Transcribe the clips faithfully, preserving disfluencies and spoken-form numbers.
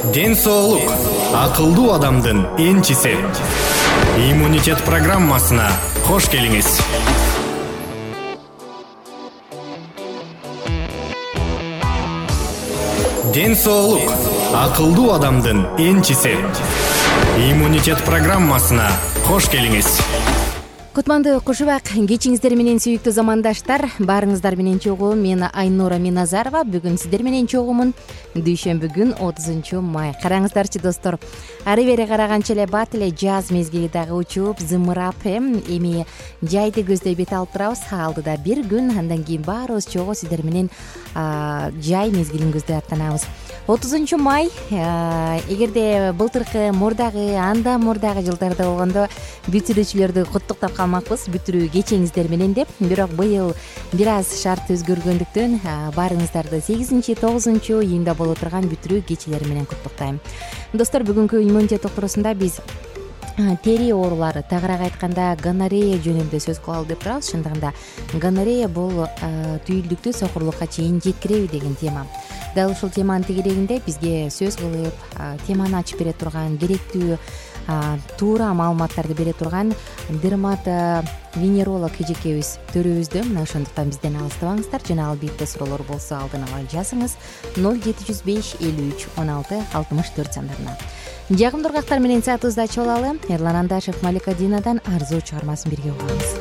Ден соолук акылдуу адамдын энчиси. Иммунитет программасына кош келиңиз. Ден соолук акылдуу адамдын энчиси. Иммунитет программасына кош келиңиз. Кутмандуу кушубак, кечиңиздер менен сүйүктүү замандаштар. Баарыңыздар менен чогуу мен Айнура Миназарова. Бүгүн сиздер менен чогумун. Дүйшөмбү күн отузунчу май. Караңыздарчы достор. Ары бери караганча эле бат эле жаз мезгили дагы учуп, зымырап эми жайды көздөй бет алып турабыз. Алдыда бир күн, андан кийин баарыбыз чогуу сиздер менен жай мезгилин көздөй аттанабыз. отузунчу май, эгерде былтыркы мурдагы, анда мурдагы жылдарда болгондо бүтүрүүчүлөрдү куттуктап калмакпыз, бүтүрүү кечиңиздер менен деп. Бирок быйыл бир аз шарт өзгөргөндүктөн баарыңыздарды сегизинчи, тогузунчу июнда боло турган бүтүрүү кечелери менен куттуктайм. Достор, бүгүнкү иммунитет токторусунда биз тери оорулары, тагыраак айтканда гонорея жөнүндө сөз кылалы деп турабыз. Чындыгында гонорея бул түйүлдүктүү сокурлукка чейин жеткиреби деген тема. Дал ушул теманын тегерегинде бизге сөз кылып, теманы ачып бере турган, керектүү туура маалыматтарды бере турган дерматовенеролог эжекебиз төрөбүздө. Мына ошондуктан бизден алыстабаңыздар. Жана албетте суроолор болсо алдын ала жазыңыз ноль жети жүз беш элүү үч он алты алтымыш төрт сандарына. Жагымдуу ургактар менен саатыбызды ачып алалы. Эрлан Андашев, Малика Динадан арзуу чыгармасын бирге угабыз.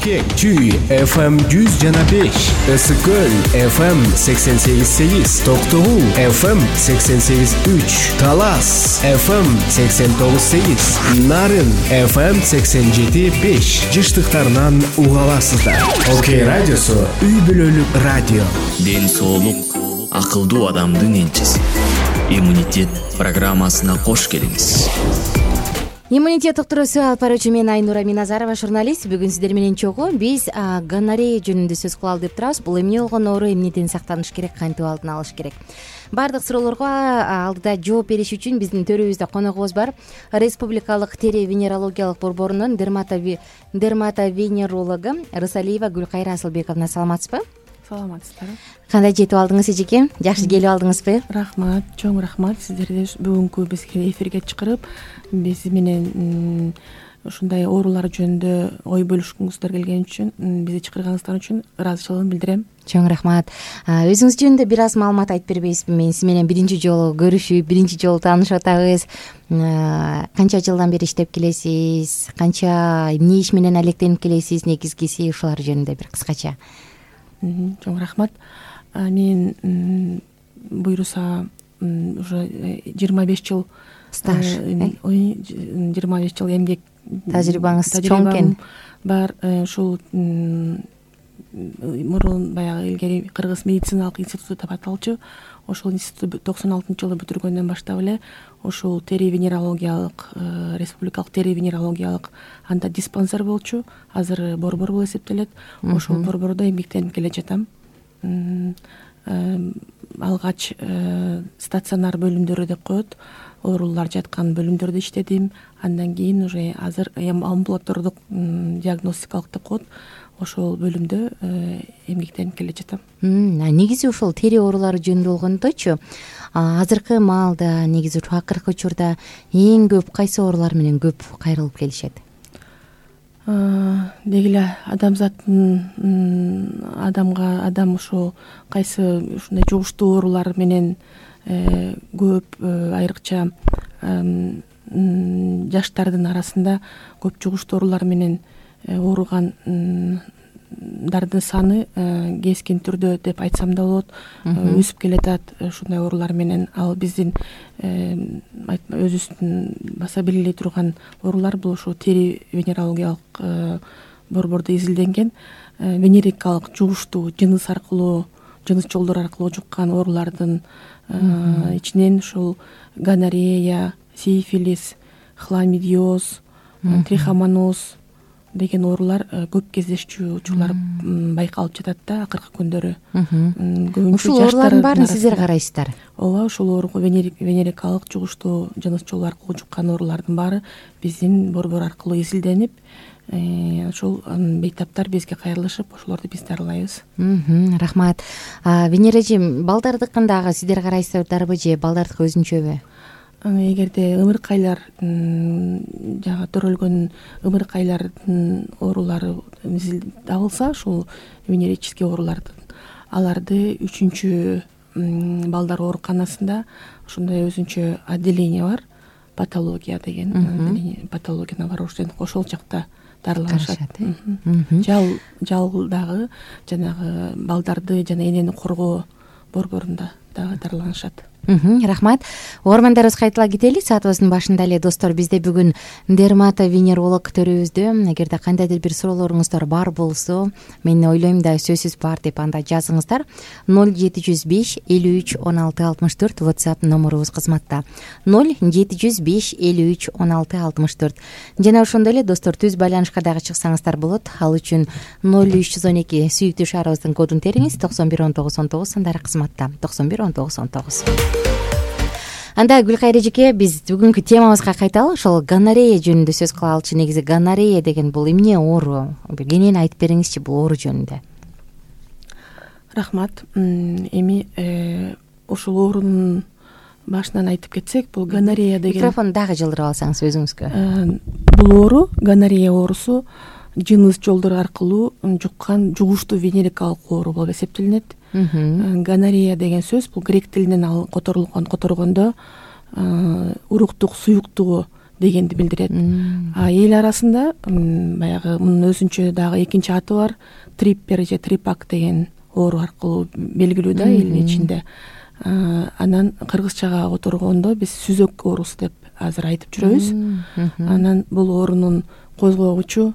Бишкек Чүй эф эм жүз жана беш, ысык көл эф эм сексен сегиз сегиз, Токтогул эф эм сексен сегиз үч, Талас эф эм сексен тогуз сегиз, Нарын эф эм сексен жети беш жыштыктарынан уга аласыздар. Окей радиосу үй бүлөлүк радио. Ден соолук акылдуу адамдын энчиси. Иммунитет программасына кош келиңиз. Иммунитет уктуруусу алып баруучу мен Айнура Миназарова, журналист. Бүгүн сиздер менен чогуу биз гонорея жөнүндө сөз кылалы деп турабыз. Бул эмне болгон оору, эмнеден сактаныш керек, кантип алдын алыш керек? Баардык суроолорго алдыда жооп бериш үчүн биздин төрүбүздө коногубуз бар. Республикалык тери венерологиялык борборунун дерматовенерологу Рысалиева Гүлкайра Асылбековна. Саламатсызбы? Саламатсыздар. Кандай жетип алдыңыз эжеке? Жакшы келип алдыңызбы? Рахмат, чоң рахмат сиздерге бүгүнкү бизге эфирге чакырып, биз менен ушундай оорулар жөнүндө ой бөлүшкүңүздөр келген үчүн, бизди чакырганыңыздар үчүн ыраазычылыгымды билдирем. Чоң рахмат. Өзүңүз жөнүндө бир аз маалымат айтып бербейсизби? Мен сиз менен биринчи жолу көрүшүп, биринчи жолу таанышып атабыз. Канча жылдан бери иштеп келесиз? Канча эмне иш менен алектенип келесиз? Негизгиси ушулар жөнүндө бир кыскача. Чоң рахмат. Мен буюрса уже жыйырма беш жыл стаж, жыйырма беш жыл эмгек тажрыйбаңыз чоң экен. Бар. Ушул мурун баягы илгери Кыргыз медициналык институту деп аталчу. Ошол институтты токсон алтынчы жылы бүтүргөндөн баштап эле ошол тери венерологиялык, республикалык тери венерологиялык анда диспансер болчу. Азыр борбор болуп эсептелет. Ошол борбордо эмгектенип келе жатам. Алгач стационар бөлүмдөрү деп коет, оорулар жаткан бөлүмдөрдө иштедим. Андан кийин уже азыр амбулатордук диагностикалык деп коет, ошол бөлүмдө эмгектенип келе жатам. Негизи ошол тери оорулары жөнүндө болгондочу, азыркы маалда негизи акыркы учурда эң көп кайсы оорулар менен көп кайрылып келишет? Деги эле адамзаттын адамга адам ошол кайсы ушундай жугуштуу оорулар менен көп, айрыкча жаштардын арасында көп жугуштуу оорулар менен ооругандардын саны кескен түрдө деп айтсам да болот, өсүп келатат. Ушундай оорулар менен ал биздин өзүбүздүн баса билбей турган оорулар бул ошо тери венерологиялык борбордо изилденген венерикалык жугуштуу жыныс аркылуу, жыныс жолдору аркылуу жуккан оорулардын ичинен ушул гонорея, сифилис, хламидиоз, трихомоноз деген оорулар көп кездешчү учурлар байкалып жатат да акыркы күндөрү. Ушул оорулардын баарын сиздер карайсыздар? Ооба, ушул оору венерикалык жугуштуу жыныс жолу аркылуу жуккан оорулардын баары биздин борбор аркылуу изилденип, ошол бейтаптар бизге кайрылышып, ошолорду биз дарылайбыз. Рахмат. Венера эже, балдардыкын дагы сиздер карайсыздарбы же балдардыкы өзүнчөбү? Эгерде ымыркайлар жага төрөлгөн ымыркайлардын оорулары табылса, ушул венерический оорулардын, аларды үчүнчү балдар ооруканасында ушундай өзүнчө отделение бар, патология деген патология бар, ошол жакта дарыланышат. Жал дагы жанагы балдарды жана энени коргоо борборунда дагы дарыланышат. Рахмат. Угармандарыбызга кайтала кетели. Саатыбыздын башында эле достор, бизде бүгүн дерматовенеролог төрүбүздө. Эгерде кандайдыр бир суроолоруңуздар бар болсо, мен ойлойм да сөзсүз бар деп анда жазыңыздар. ноль жети жүз беш элүү үч он алты алтымыш төрт WhatsApp номерубуз кызматта. ноль жети жүз беш элүү үч он алты алтымыш төрт. Жана ошондой эле достор, түз байланышка дагы чыксаңыздар болот. Ал үчүн ноль үч жүз он эки сүйүктүү шаарыбыздын кодун териңиз. токсон бир он тогуз он тогуз сандары кызматта. токсон бир он тогуз он тогуз. Анда Гүлкайра эжеке, биз бүгүнкү темабызга кайталы. Ошол гонорея жөнүндө сөз кылалычы. Негизи гонорея деген бул эмне оору? Кенен айтып бериңизчи бул оору жөнүндө. Рахмат. Эми ушул оорунун башынан айтып кетсек, бул гонорея деген... Микрофон дагы жылдырып алсаңыз өзүңүзгө. Бул оору, гонорея оорусу жыныс жолдору аркылуу жуккан жугуштуу венерикалык оору болуп эсептелинет. Гонорея деген сөз бул грек тилинен ал которулган которгондо уруктук суюктугу дегенди билдирет. А эл арасында баягы мунун өзүнчө дагы экинчи аты бар, триппер же трипак деген оору аркылуу белгилүү да элдин ичинде. Анан кыргызчага которгондо биз сүзөк оорусу деп азыр айтып жүрөбүз. Анан бул оорунун козгогучу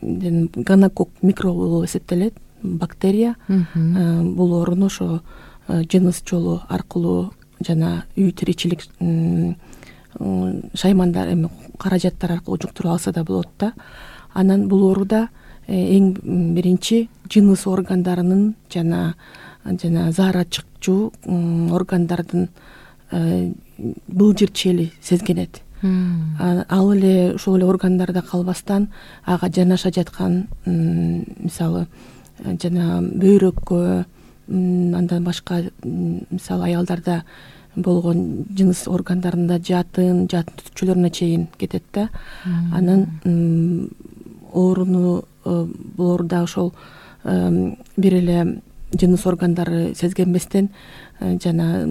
гонокок микробу болуп эсептелет, бактерия. Бул ооруну ошо жыныс жолу аркылуу жана үй тиричилик шаймандар эми каражаттар аркылуу жуктуруп алса да болот да. Анан бул ооруда эң биринчи жыныс органдарынын жана жана заара чыкчу органдардын былжыр чели сезгенет. Ал эле ошол эле органдарда калбастан ага жанаша жаткан мисалы жана бөйрөккө, андан башка мисалы аялдарда болгон жыныс органдарында жатын, жатын түтүкчөлөрүнө чейин кетет да. Анан ооруну бул ооруда ошол бир эле жыныс органдары сезгенбестен жана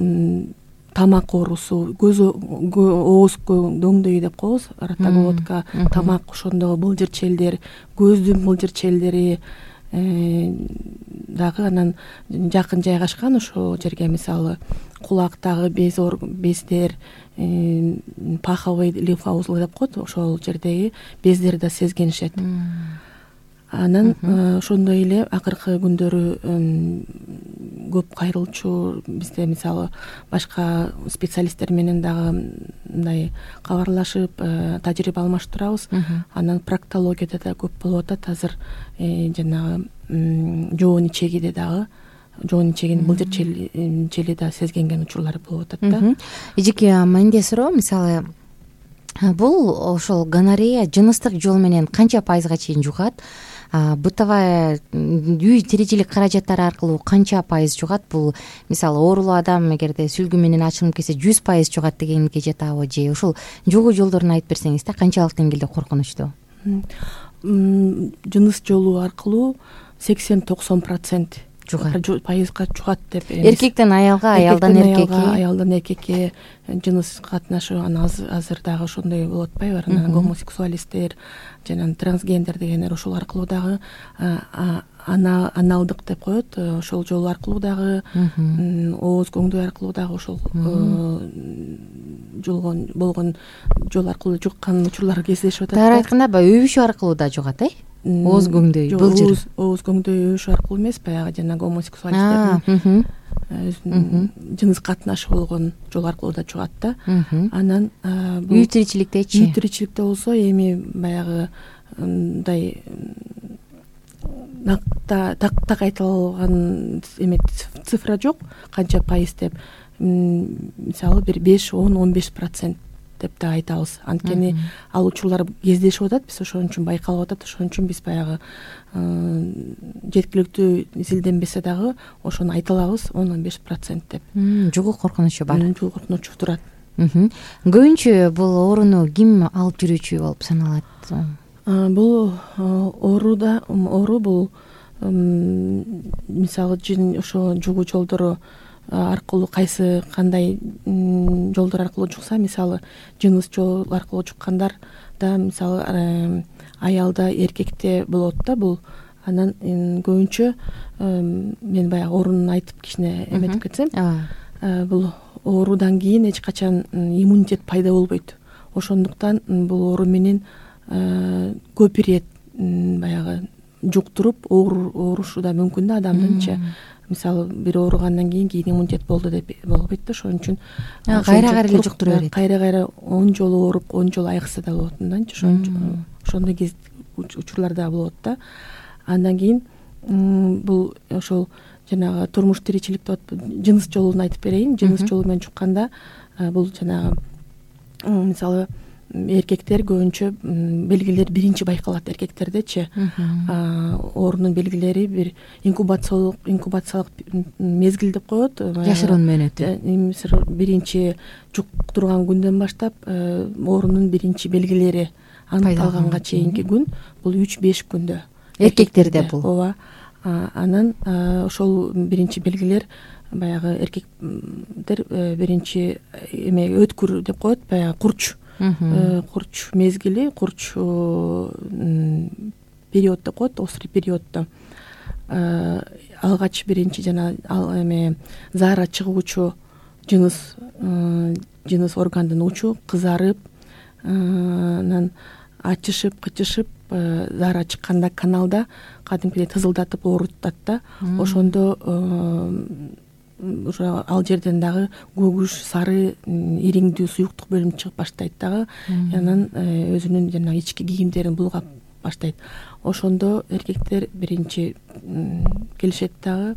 тамак оорусу, көз ооз дөңдөйү деп коебуз, ротоглотка, тамак, ошондо былжыр челдер, көздүн былжыр челдери дагы анан жакын жайгашкан ошол жерге мисалы кулактагы без бездер, паховый лимфоузлы деп коет, ошол жердеги бездерди да сезгенишет. Анан ошондой эле акыркы күндөрү көп кайрылчу бизде мисалы башка специалисттер менен дагы мындай кабарлашып тажрыйба алмаштырабыз. Анан проктологияда да көп болуп атат азыр, жанагы жоон ичегиде дагы жоон ичегинин былжыр чели да сезгенген учурлар болуп атат да. Эжеке, менде суроо, мисалы бул ошол гонорея жыныстык жол менен канча пайызга чейин жугат? Бытовая үй тиричилик каражаттары аркылуу канча пайыз жугат? Бул мисалы оорулуу адам эгерде сүлгү менен ачылып кетсе жүз пайыз жугат дегенге жатабы же ошол жугуу жолдорун айтып берсеңиз да, канчалык деңгээлде коркунучтуу? Жыныс жолу аркылуу сексен токсон процент пайызга жугат деп беребиз. Эркектен аялга, аялдан эркекке, аялдан эркекке жыныс катнашы аны азыр дагы ошондой болуп атпайбы? Анан гомосексуалисттер жана трансгендер дегендер ошол аркылуу дагы аналдык деп коет, ошол жол аркылуу дагы, ооз көңдөй аркылуу дагы ошол жолгон болгон жол аркылуу жуккан учурлар кездешип атат. Туура айтканда баягы өбүшүү аркылуу да жугат, э? Ооз көңдөй, былжыр. Ооз көңдөй өбүшүү аркылуу эмес, баягы жана гомосексуалисттердин жыныс катнашы болгон жол аркылуу да жугат да. Анан үй тиричиликтечи? Үй тиричиликте болсо эми баягы мындай так айтылган эме цифра жок, канча пайыз деп. Мисалы бир беш, он, он беш процент деп да айтабыз. Анткени ал учурлар кездешип атат, биз ошон үчүн байкалып атат, ошон үчүн биз баягы жеткиликтүү изилденбесе дагы ошону айта алабыз, он, он беш процент деп. Жугуу коркунучу бар. Жугуу коркунучу турат. Көбүнчө бул ооруну ким алып жүрүүчү болуп саналат? Бул ооруда оору бул мисалы ошо жугуу жолдору аркылуу кайсы кандай жолдор аркылуу жукса, мисалы жыныс жол аркылуу жуккандар да мисалы аялда, эркекте болот да бул. Анан көбүнчө мен баягы оорунун айтып кичине эметип кетсем, бул оорудан кийин эч качан иммунитет пайда болбойт. Ошондуктан бул оору менен көп ирет баягы жуктуруп оорушу да мүмкүн да адамдынчы. Мисалы бир ооругандан кийин кийин иммунитет болду деп болбойт да, ошон үчүн кайра-кайра эле жуктура берет. Кайра-кайра он жолу ооруп, он жолу айыкса да болот мындайчы, ошон ошондой кез учурлар да болот да. Андан кийин бул ошол жанагы турмуш тиричилик деп жыныс жолун айтып берейин. Жыныс жолу менен жукканда бул жанагы мисалы эркектер көбүнчө белгилер биринчи байкалат эркектердечи. Оорунун белгилери бир инкубациялык инкубациялык мезгил деп коет. Жашыруун мөөнөтү. Биринчи жуктурган күндөн баштап оорунун биринчи белгилери аныкталганга чейинки күн бул үч беш күндө. Эркектерде бул. Ооба. Анан ошол биринчи белгилер баягы эркектер биринчи эме өткүр деп коет, баягы курч курч мезгили, курч период деп коет, острый периоддо алгач биринчи жана эме заара чыгуучу жыныс жыныс органдын учу кызарып, анан ачышып, кычышып, заара чыкканда каналда кадимкидей тызылдатып оорутат да. Ошондо уже ал жерден дагы көгүш, сары, ириңдүү суюктук бөлүнүп чыгып баштайт дагы. Анан өзүнүн жана ички кийимдерин булгап баштайт. Ошондо эркектер биринчи келишет дагы,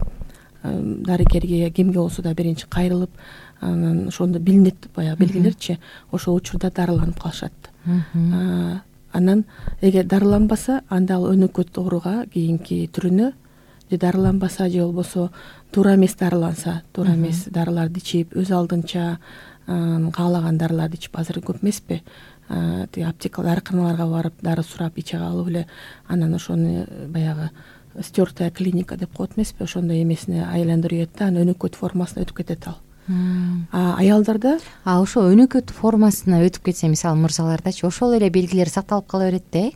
дарыгерге кимге болсо да биринчи кайрылып, анан ошондо билинет баягы белгилерчи. Ошол учурда дарыланып калышат. Анан эгер дарыланбаса, анда ал өнөкөт ооруга кийинки түрүнө, же дарыланбаса, же болбосо туура эмес дарыланса, туура эмес дарыларды ичип, өз алдынча каалаган дарыларды ичип, азыр көп эмеспи, тиги аптека дарыканаларга барып, дары сурап иче алып эле, анан ошону баягы стертая клиника деп коет эмеспи, ошондой эмесине айландырып ийет да, анан өнөкөт формасына өтүп кетет ал. А аялдарда а ошо өнөкөт формасына өтүп кетсе, мисалы мырзалардачы ошол эле белгилер сакталып кала берет да.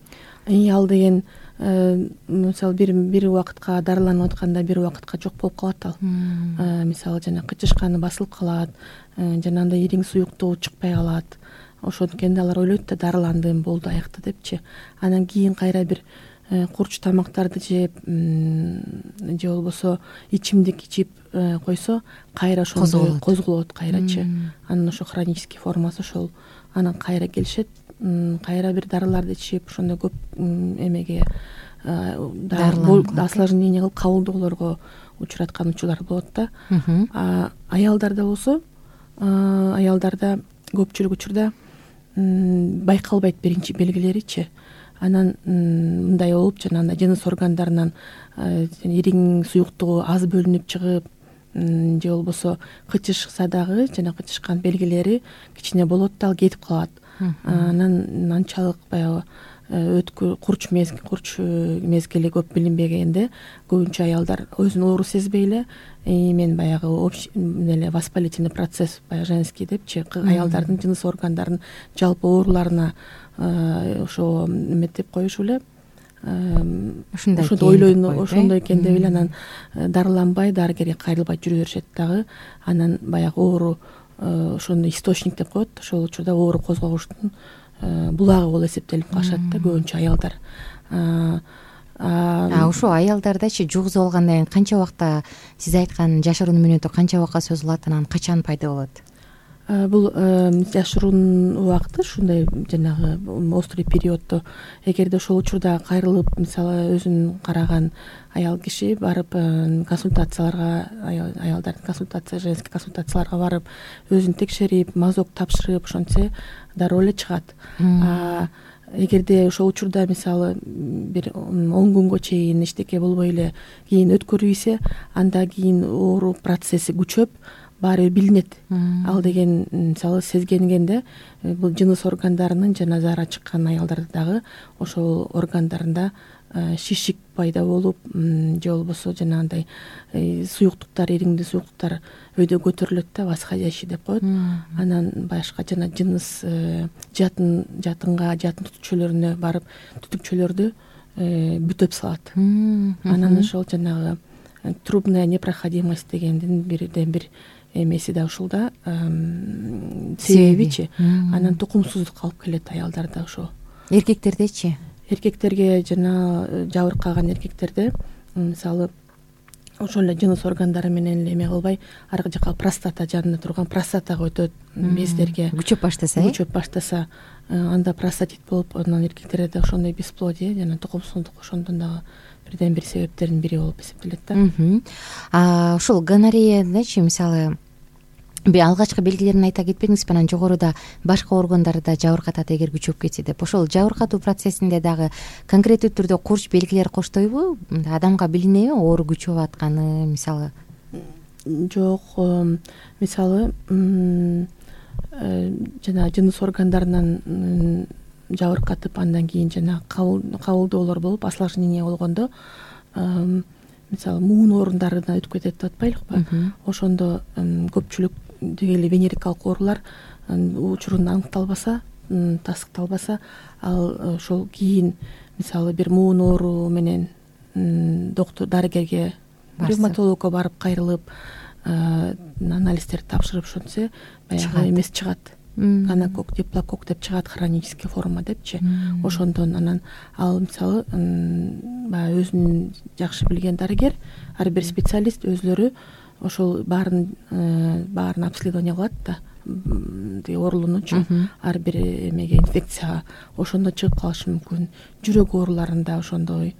э ал деген мисалы бир бир убакытка дарыланып атканда бир убакытка жок болуп калат ал. Мисалы жана кычышканы басылып калат, жана андай ириң суюктугу чыкпай калат. Ошонткенде алар ойлойт да дарыландым, болду, аякта депчи. Анан кийин кайра бир курч тамактарды жеп, же болбосо ичимдик ичип койсо, кайра ошондой козголот кайрачы. Анан ошо хронический формасы ошол. Анан кайра келишет, кайра бир дарыларды ичип, ошондой көп эмеге осложнение кылып кабылдоолорго учураткан учурлар болот да. А аялдарда болсо, аялдарда көпчүлүк учурда байкалбайт биринчи белгилеричи. Анан мындай болуп, жанагындай жыныс органдарынан ириң суюктугу аз бөлүнүп чыгып, же болбосо кычышса дагы, жана кычышкан белгилери кичине болот да, ал кетип калат. Анан анчалык баягы өткүр курч мезгил, курч мезгили көп билинбегенде көбүнчө аялдар өзүн оору сезбей эле, мен баягы эле воспалительный процесс, баягы женский депчи, аялдардын жыныс органдарынын жалпы ооруларына ошо эметип коюшу эле, ошондо ойлойм, ошондой экен деп эле анан дарыланбай, дарыгерге кайрылбай жүрө беришет дагы. Анан баягы оору ошону источник деп коет, ошол учурда оору козгогучтун булагы болуп эсептелип калышат да көбүнчө аялдар. А ошо аялдардачы жугузуп алгандан кийин канча убакта, сиз айткан жашыруун мүнөтү канча убакка созулат, анан качан пайда болот? Бул жашыруун убакыты ушундай жанагы острый периоддо, эгерде ошол учурда кайрылып, мисалы өзүн караган аял киши барып консультацияларга, аялдардын консультация, женский консультацияларга барып, өзүн текшерип, мазок тапшырып ошентсе дароо эле чыгат. А эгерде ошол учурда мисалы бир он күнгө чейин эчтеке болбой эле кийин өткөрүйсе, анда кийин оору процесси күчөп баары билинет. Ал деген мисалы сезгенгенде бул жыныс органдарынын жана заара чыккан аялдарда дагы ошол органдарында шишик пайда болуп, же болбосо жанагындай суюктуктар, ириңдүү суюктуктар өйдө көтөрүлөт да, восходящий деп коет. Анан башка жана жыныс жатын жатынга, жатын түтүкчөлөрүнө барып, түтүкчөлөрдү бүтөп салат. Анан ошол жанагы трубная непроходимость дегендин бирден бир эмеси да ушул да, себебичи. Анан тукумсуздук алып келет аялдарда ошо. Эркектердечи? Эркектерге жана жабыркаган эркектерде мисалы ошол эле жыныс органдары менен эле эме кылбай, аркы жака простата жанында турган простатага өтөт, бездерге күчөп баштаса, күчөп баштаса, анда простатит болуп, анан эркектерде да ошондой бесплодие жана тукумсуздук ошондон дагы бирден бир себептердин бири болуп эсептелет да. А ушул гонореядачы, мисалы алгачкы белгилерин айта кетпедиңизби, анан жогоруда башка органдарда жабыркатат эгер күчөп кетсе деп. Ошол жабыркатуу процессинде дагы конкреттүү түрдө курч белгилер коштойбу? Адамга билинеби оору күчөп атканы, мисалы? Жок, мисалы жана жыныс органдарынан жабыркатып, андан кийин жана кабылдоолор болуп, осложнение болгондо мисалы муун оорундарына өтүп кетет деп атпайлыкпы, ошондо көпчүлүк дегеле венерикалык оорулар учурунда аныкталбаса, тастыкталбаса, ал ошол кийин мисалы бир муун оору менен доктор дарыгерге, ревматологко барып кайрылып анализдерди тапшырып ошентсе баягы эмес чыгат, гонокок, диплокок деп чыгат, хронический форма депчи. Ошондон анан ал мисалы баягы өзүн жакшы билген дарыгер, ар бир специалист өзлөрү ошол баарын баарын обследование кылат да, оорулуунучу ар бир эмеге, инфекцияга. Ошондо чыгып калышы мүмкүн. Жүрөк ооруларында ошондой,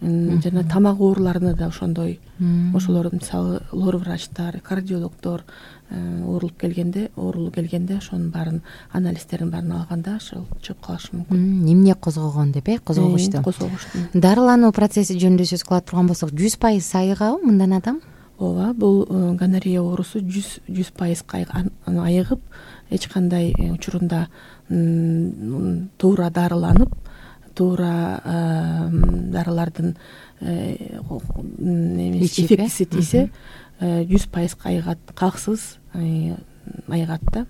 жана тамак ооруларында да ошондой. Ошолор мисалы лор врачтар, кардиологдор оорулуп келгенде, оорулуу келгенде ошонун баарын анализдерин баарын алганда ошол чыгып калышы мүмкүн. Эмне козгогон деп э, козгогучту. Козгогучту. Дарылануу процесси жөнүндө сөз кыла турган болсок, жүз пайыз айыгабы мындан адам? Ооба, бул гонорея оорусу жүз пайыз айыгып, эч кандай учурунда туура дарыланып, туура дарылардын эффектиси тийсе, жүз пайыз айыгат, калксыз айыгат да.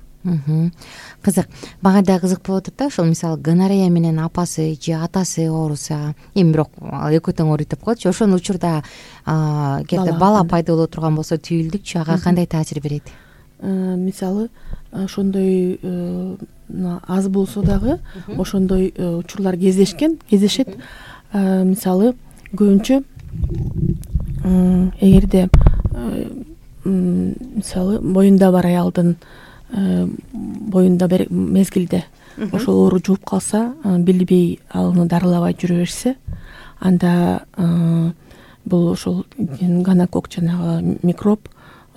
Кызык. Мага да кызык болуп атат да, ошол мисалы гонорея менен апасы же атасы ооруса, эми бирок экөө тең ооруйт деп коелучу, ошол учурда кээде бала пайда боло турган болсо түйүлдүкчү, ага кандай таасир берет? Мисалы ошондой аз болсо дагы ошондой учурлар кездешкен, кездешет. Мисалы көбүнчө эгерде мисалы боюнда бар аялдын боюнда бир мезгилде ошол оору жууп калса, билбей аны дарылабай жүрө берсе, анда бул ошол гонокок жанагы микроб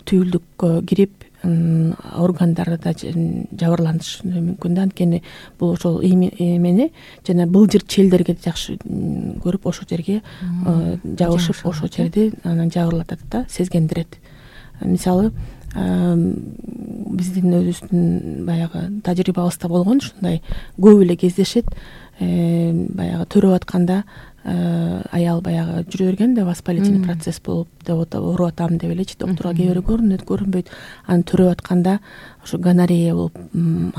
түйүлдүккө кирип органдарда жабырланышы мүмкүн да. Анткени бул ошол эмени жана былжыр челдерге жакшы көрүп, ошол жерге жабышып, ошол жерди анан жабырлатат да, сезгендирет. Мисалы биздин өзүбүздүн баягы тажрыйбабызда болгон ушундай көп эле кездешет. Баягы төрөп атканда аял баягы жүрө берген да, воспалительный процесс болуп, деп ооруп атам деп элечи, доктурга кээ бирөө көрүнөт, көрүнбөйт. Аны төрөп атканда, ошо гонорея болуп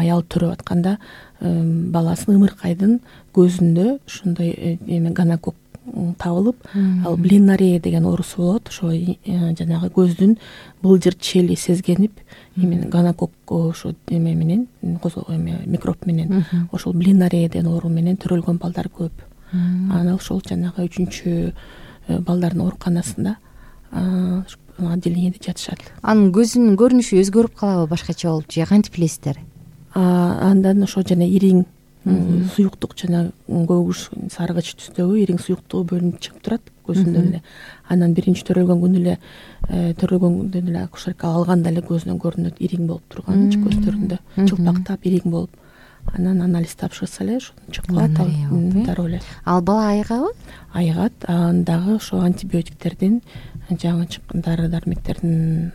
аял төрөп атканда баласын ымыркайдын көзүндө ушундай эме гонокок табылып, ал блинорея деген оорусу болот. Ошо жанагы көздүн былжыр чели сезгенип, именно гонокок ошо эме менен, микроб менен, ошол блинорея деген оору менен төрөлгөн балдар көп. Анан ошол жанагы үчүнчү балдардын ооруканасында отделениеде жатышат. Анын көзүнүн көрүнүшү өзгөрүп калабы башкача болуп же кантип билесиздер? Андан ошо жана ириң суюктук, жана көгүш саргыч түстөгү ириң суюктугу бөлүнүп чыгып турат көзүндөн эле. Анан биринчи төрөлгөн күнү эле төрөлгөн күндөн эле акушерка алганда эле көзүнөн көрүнөт ириң болуп турган, көздөрүндө чылпактап ириң болуп. Анан анализ тапшырса эле ошондон чыгып калат, дароо эле. Ал бала айыгабы? Айыгат. Андагы ошо антибиотиктердин, жаңы чыккан дары дармектердин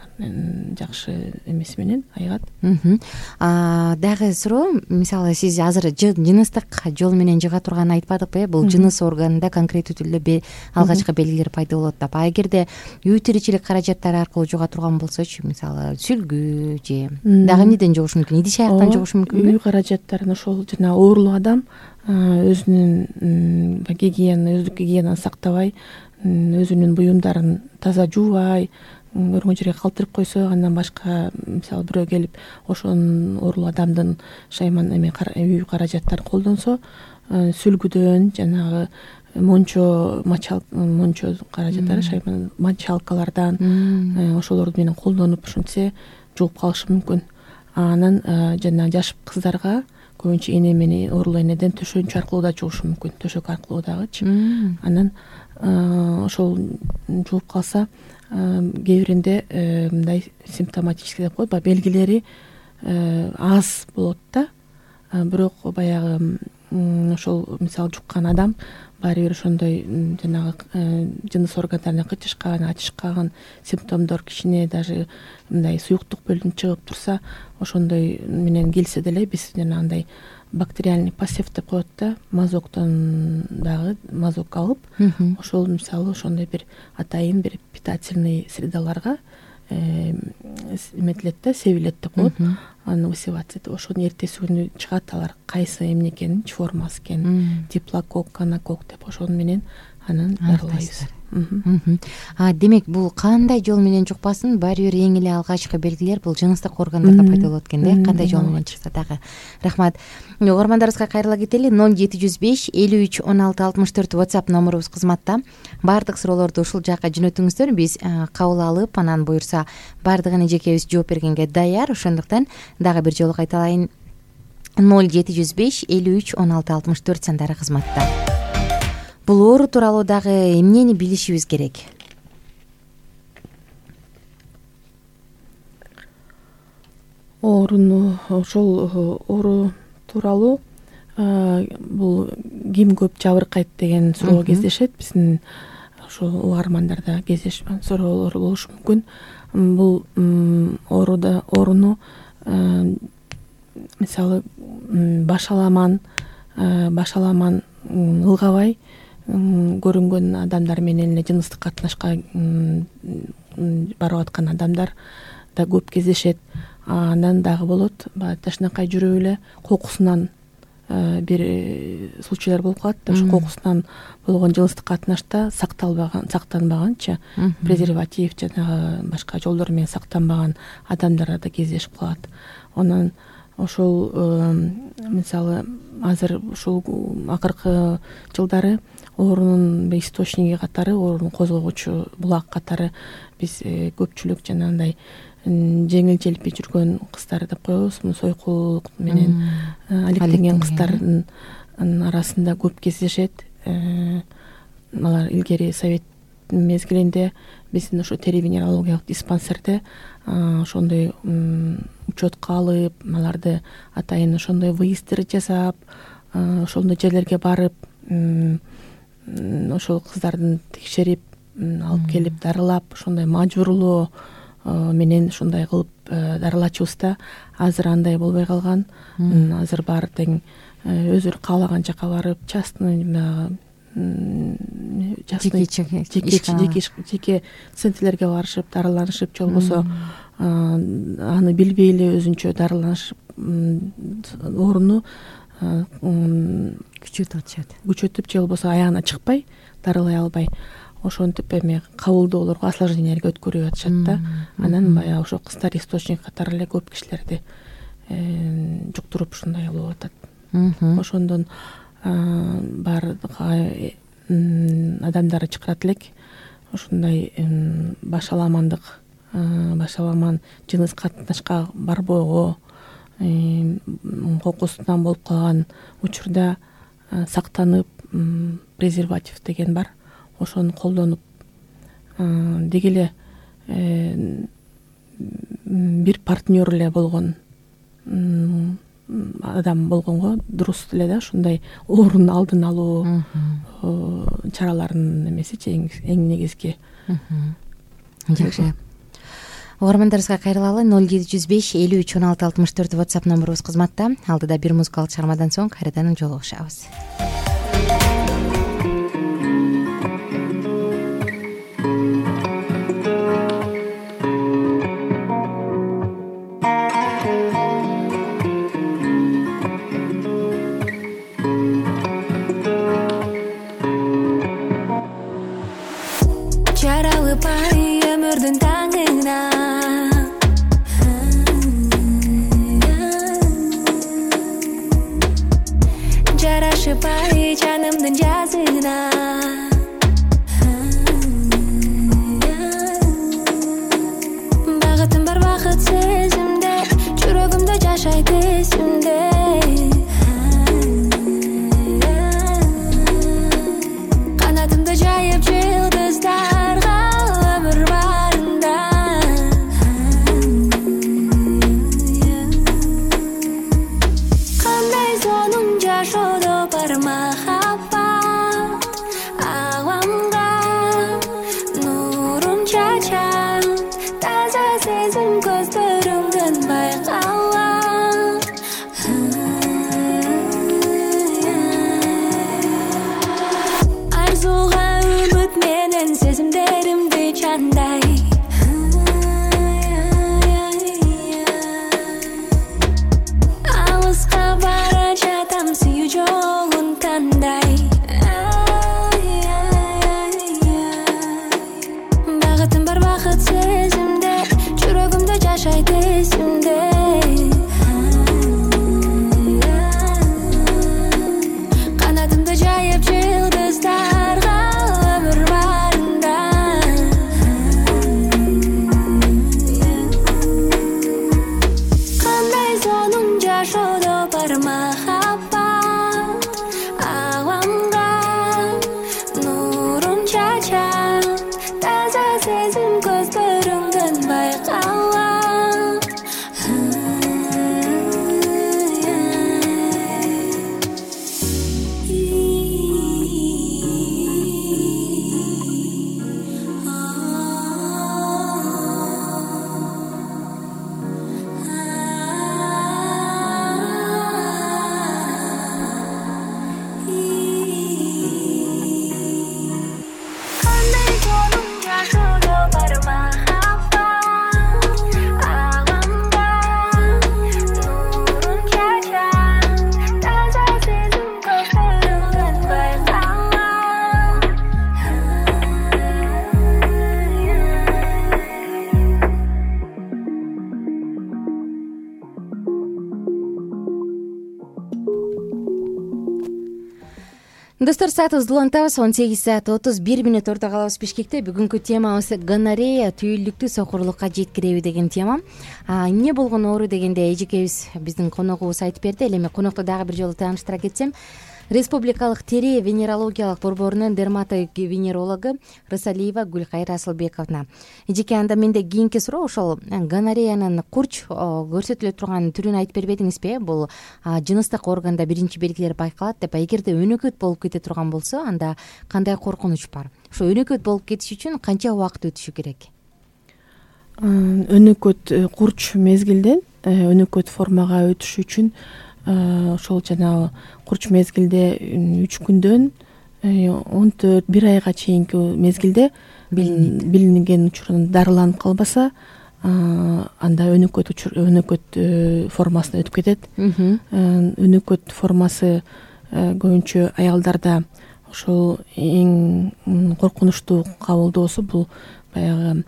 жакшы эмеси менен айыгат. Дагы суроо, мисалы сиз азыр жыныстык жол менен жыга турганын айтпадыкпы э? Бул жыныс органында конкреттүү түрдө алгачкы белгилер пайда болот деп. А эгерде үй тиричилик каражаттары аркылуу жуга турган болсочу, мисалы сүлгү же дагы эмнеден жугушу мүмкүн? Идиш аяктан жугушу мүмкүнбү? Үй каражаттарын ошол жана оорулуу адам өзүнүн гигиена, өздүк гигиенаны сактабай, өзүнүн буюмдарын таза жуубай, көргөн жерге калтырып койсо, андан башка мисалы бирөө келип ошонун оорулуу адамдын шайман эме үй каражаттарын колдонсо, сүлгүдөн жанагы мончо, мочал мончо каражаттары, шайман мочалкалардан ошолор менен колдонуп ушинтсе жууп калышы мүмкүн. Анан жана жаш кыздарга көбүнчө эне менен оорулуу энеден төшөнчү аркылуу да жугушу мүмкүн, төшөк аркылуу дагычы. Анан ошол жууп калса, кээ биринде мындай симптоматический деп коет, баягы белгилери аз болот да, бирок баягы ошол мисалы жуккан адам баары бир ошондой жанагы жыныс органдарына кычышкан, ачышкан симптомдор кишине даже мындай суюктук бөлүнүп чыгып турса, ошондой менен келсе деле биз жанагындай бактериальный посев деп коет да, мазоктон дагы мазок алып, ошол мисалы ошондой бир атайын бир питательный средаларга эметилет да, себилет деп коет, аны высеваться этип, ошонун эртеси күнү чыгат алар кайсы эмне экенин, ч формасы экенин, диплокок, канакок деп ошону менен анан дарылайбыз. А демек бул кандай жол менен жукпасын, баары бир эң эле алгачкы белгилер бул жыныстык органдарда пайда болот экен да, кандай жол менен чыкса дагы. Рахмат. Угармандарыбызга кайрыла кетели. ноль жети жүз беш элүү үч он алты алтымыш төрт WhatsApp номурубуз кызматта. Баардык суроолорду ушул жакка жөнөтүңүздөр, биз кабыл алып, анан буюрса баардыгына жекебиз жооп бергенге даяр. Ошондуктан дагы бир жолу кайталайын. ноль жети жүз беш элүү үч он алты алтымыш төрт сандары кызматта. Бул оору тууралуу дагы эмнени билишибиз керек? Ооруну, ошол оору тууралуу бул ким көп жабыркайт деген суроо кездешет. Биздин ошол угармандарда кездешип суроолор болушу мүмкүн. Бул ооруда ооруну мисалы башаламан башаламан ылгабай көрүнгөн адамдар менен эле жыныстык катнашка барып аткан адамдар да көп кездешет. Андан дагы болот, баягы ташнакай жүрүп эле кокусунан бир случайлар болуп калат. Ошо кокусунан болгон жыныстык катнашта сакталбаган, сактанбаганчы, презерватив жанагы башка жолдор менен сактанбаган адамдарда да кездешип калат. Анан ошол мисалы азыр ушул акыркы жылдары оорунун источниги катары, оорунун козгогучу булак катары биз көпчүлүк жанагындай жеңил желпи жүргөн кыздар деп коебуз, сойкулук менен алектенген кыздардын арасында көп кездешет. Алар илгери совет мезгилинде биздин ошо тери-венерологиялык диспансерде ошондой учетко алып, аларды атайын ошондой выезддер жасап, ошондой жерлерге барып, ошол кыздардын текшерип, алып келип дарылап, ошондой мажбурлоо менен ушундай кылып дарылачубыз да. Азыр андай болбой калган. Азыр баары тең өзүлөрү каалаган жака барып, частный жеке центрлерге барышып, дарыланышып, же болбосо аны билбей эле өзүнчө дарыланышып, ооруну күчөтүп атышат. Күчөтүп, же болбосо аягына чыкпай, дарылай албай, ошентип эме кабылдоолорго, осложнениялерге өткөрүп атышат да. Анан баягы ошо кыздар источник катары эле көп кишилерди жуктуруп ушундай болуп атат. Ошондон баардык адамдар чакырат элек ушундай башаламандык, башаламан жыныс катнашка барбоого, кокусунан болуп калган учурда сактанып, презерватив деген бар, ошону колдонуп, деги эле бир партнер эле болгон адам болгонго дурус эле да, ушундай оорунун алдын алуу чараларынын эмесичи эң негизги. Жакшы. Угармандарыбызга кайрылалы. ноль жети жүз беш элүү үч он алты алтымыш төрт WhatsApp номурубуз кызматта. Алдыда бир музыкалык чыгармадан соң кайрадан жолугушабыз. Жарашыбай жанымдын жазына, багытым бар бакыт сезимде, жүрөгүмдө жашайт эсимде. Канатымды жайып жылдыздарга өмүр барында, кандай сонун жашоодо Достор, саатыбызды улантабыз. он сегиз саат отуз бир мүнөт орто калабыз Бишкекте. Бүгүнкү темабыз гонорея, түйүлдүктү сокурлукка жеткиреби деген тема. Эмне болгон оору дегенде эжекебиз биздин коногубуз айтып берди. Эле эми конокто дагы бир жолу тааныштыра кетсем, Республикалык тери венерологиялык борборунун дерматовенерологу Рысалиева Гүлкайыр Асылбековна. Эжеке, анда менде кийинки суроо ошол гонореянын курч көрсөтүлө турган түрүн айтып бербедиңизби? Бул жыныстык органда биринчи белгилер байкалат деп. Эгерде өнөкөт болуп кете турган болсо, анда кандай коркунуч бар? Ошо өнөкөт болуп кетиш үчүн канча убакыт өтүшү керек? Өнөкөт курч мезгилден өнөкөт формага өтүш үчүн ошол жанагы курч мезгилде үч күндөн он төрт бир айга чейинки мезгилде билинген учурунда дарыланып калбаса, анда өнөкөт өнөкөт формасына өтүп кетет. Өнөкөт формасы көбүнчө аялдарда ошол эң коркунучтуу кабылдоосу бул баягы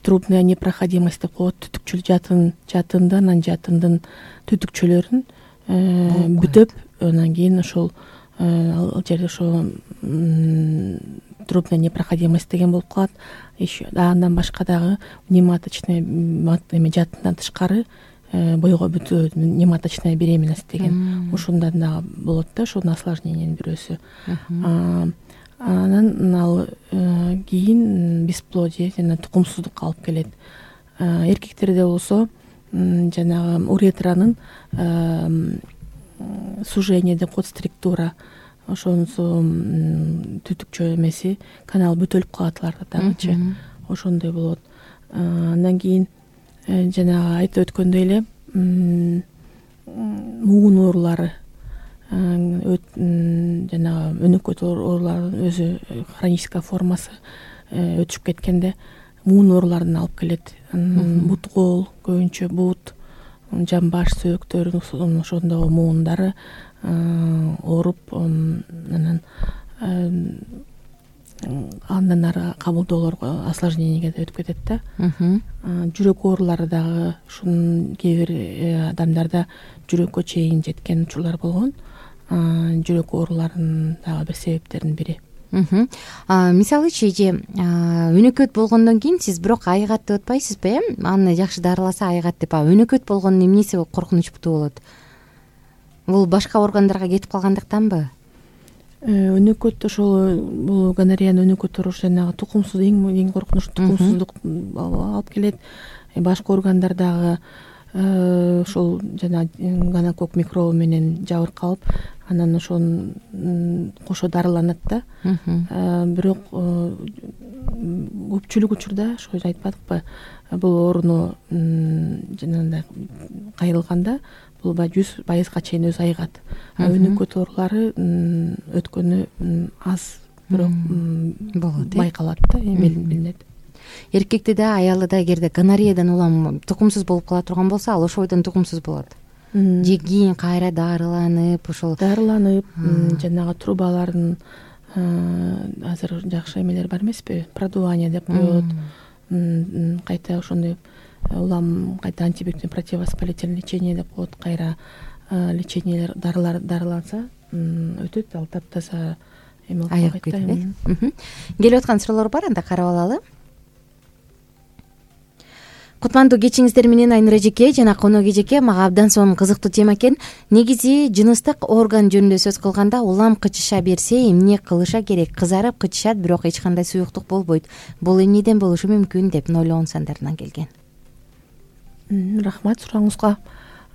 трубная непроходимость деп коет. Түтүкчүл жатын жатындан анан жатындын түтүкчөлөрүн бүтөп, анан кийин ошол ал жерде ошо трубная непроходимость деген болуп калат. Еще андан башка дагы нематочная жатындан тышкары бойго бүтүү нематочная беременность деген ушундан дагы болот да, ошонун осложнениянын бирөөсү. Анан ал кийин бесплодие жана тукумсуздукка алып келет. Эркектерде болсо жанагы уретранын сужение деп коет, структура, ошонусу түтүкчө эмеси канал бүтөлүп калат аларда дагычы, ошондой болот. Андан кийин жанагы айтып өткөндөй эле муун оорулары, жанагы өнөкөт ооруларынын өзү хроническая формасы өтүшүп кеткенде муун ооруларын алып келет. Бут кол, көбүнчө бут, жамбаш, сөөктөрүн ошондогу муундары ооруп, анан андан ары кабылдоолорго, осложненияга өтүп кетет да. Жүрөк оорулары дагы ушунун кээ бир адамдарда жүрөккө чейин жеткен учурлар болгон. Жүрөк ооруларынын дагы бир себептеринин бири. Мисалычы, эже өнөкөт болгондон кийин сиз бирок айыгат деп атпайсызбы, э? Аны жакшы дарыласа айыгат деп. Өнөкөт болгондун эмнеси коркунучтуу болот? Бул башка органдарга кетип калгандыктанбы? Өнөкөт ошол бул гонореянын өнөкөт оорусу жанагы тукумсуз, эң коркунучтуу тукумсуздук алып келет. Башка органдардагы ошол жана гонокок микробу менен жабыркалып, анан ошонун кошо дарыланат да. Бирок көпчүлүк учурда ошо айтпадыкпы, бул ооруну жанагындай кайрылганда бул баягы жүз пайызга чейин өзү айыгат. Өнөкөт оорулары өткөнү аз, бирок байкалат да, билинет. Эркекте да, аялда да эгерде гонореядан улам тукумсуз болуп кала турган болсо, ал ошойдон тукумсуз болот. Же кийин кайра дарыланып, ошол дарыланып, жанагы трубалардын азыр жакшы эмелер бар эмеспи? Продувание деп коет. Кайта ошондой улам кайта антибиотик противовоспалительный лечение деп коет. Кайра лечениелер, дарылар дарыланса өтөт, ал таптаса эме болуп кетет. Келип аткан суроолор бар, анда карап алалы. Кутмандуу кечиңиздер менен Айнура эжеке жана конок эжеке, мага абдан сонун кызыктуу тема экен. Негизи жыныстык орган жөнүндө сөз кылганда улам кычыша берсе эмне кылыша керек? Кызарып кычышат, бирок эч кандай суюктук болбойт. Бул эмнеден болушу мүмкүн деп ноль он сандарынан келген. Рахмат сурооңузга.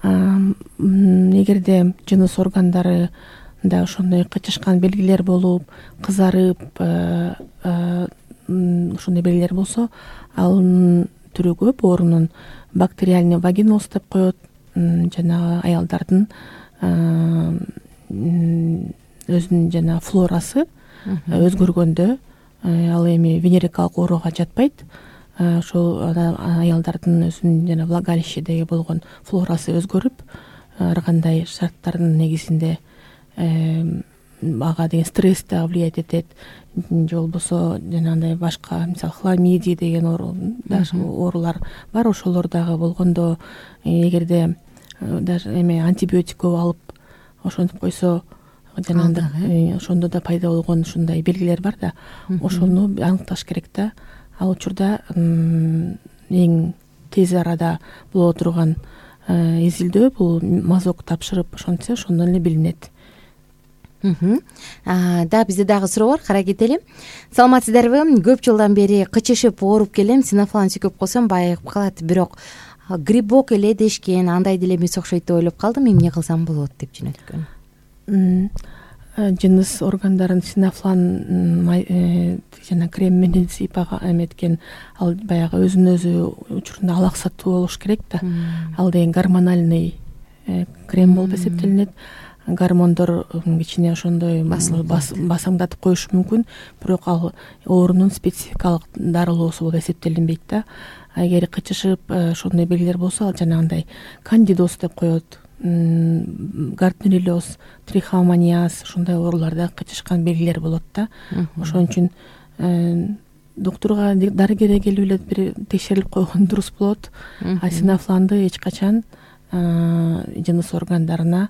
Эгерде жыныс органдары да ошондой кычышкан белгилер болуп, кызарып, ошондой белгилер болсо, ал түрү көп. Оорунун бактериальный вагиноз деп коет. Жанагы аялдардын өзүнүн жана флорасы өзгөргөндө, ал эми венерикалык ооруга жатпайт. Ошол аялдардын өзүнүн жана влагалище деги болгон флорасы өзгөрүп, ар кандай шарттардын негизинде ага деген стресс да влиять этет. Же болбосо жанагындай башка, мисалы хламидия деген оорулар бар. Ошолор дагы болгондо, эгерде даже эме антибиотик көп алып ошентип койсо, жанагындай ошондо да пайда болгон ушундай белгилер бар да, ошону аныкташ керек да. Ал учурда эң тез арада боло турган изилдөө бул мазок тапшырып ошентсе ошондон эле билинет. Да, бизде дагы суроо бар, кара кетели. Саламатсыздарбы? Көп жылдан бери кычышып ооруп келем, синофлан сүйкөп койсом байыгып калат, бирок грибок эле дешкен, андай деле эмес окшойт деп ойлоп калдым, эмне кылсам болот деп жөнөткөн. Жыныс органдарын синофлан жана крем менен сыйпага эметкен, ал баягы өзүнөн өзү учурунда алаксаттуу болуш керек да. Ал деген гормональный крем болуп эсептелинет. Гормондор кичине ошондой басаңдатып коюшу мүмкүн, бирок ал оорунун спецификалык дарылоосу болуп эсептелинбейт да. Эгер кычышып ошондой белгилер болсо, ал жанагындай кандидоз деп коет, гартнерилоз, трихомониаз, ошондой ооруларда кычышкан белгилер болот да. Ошон үчүн доктурга, дарыгерге келип эле бир текшерилип койгон дурус болот. А синофланды эч качан жыныс органдарына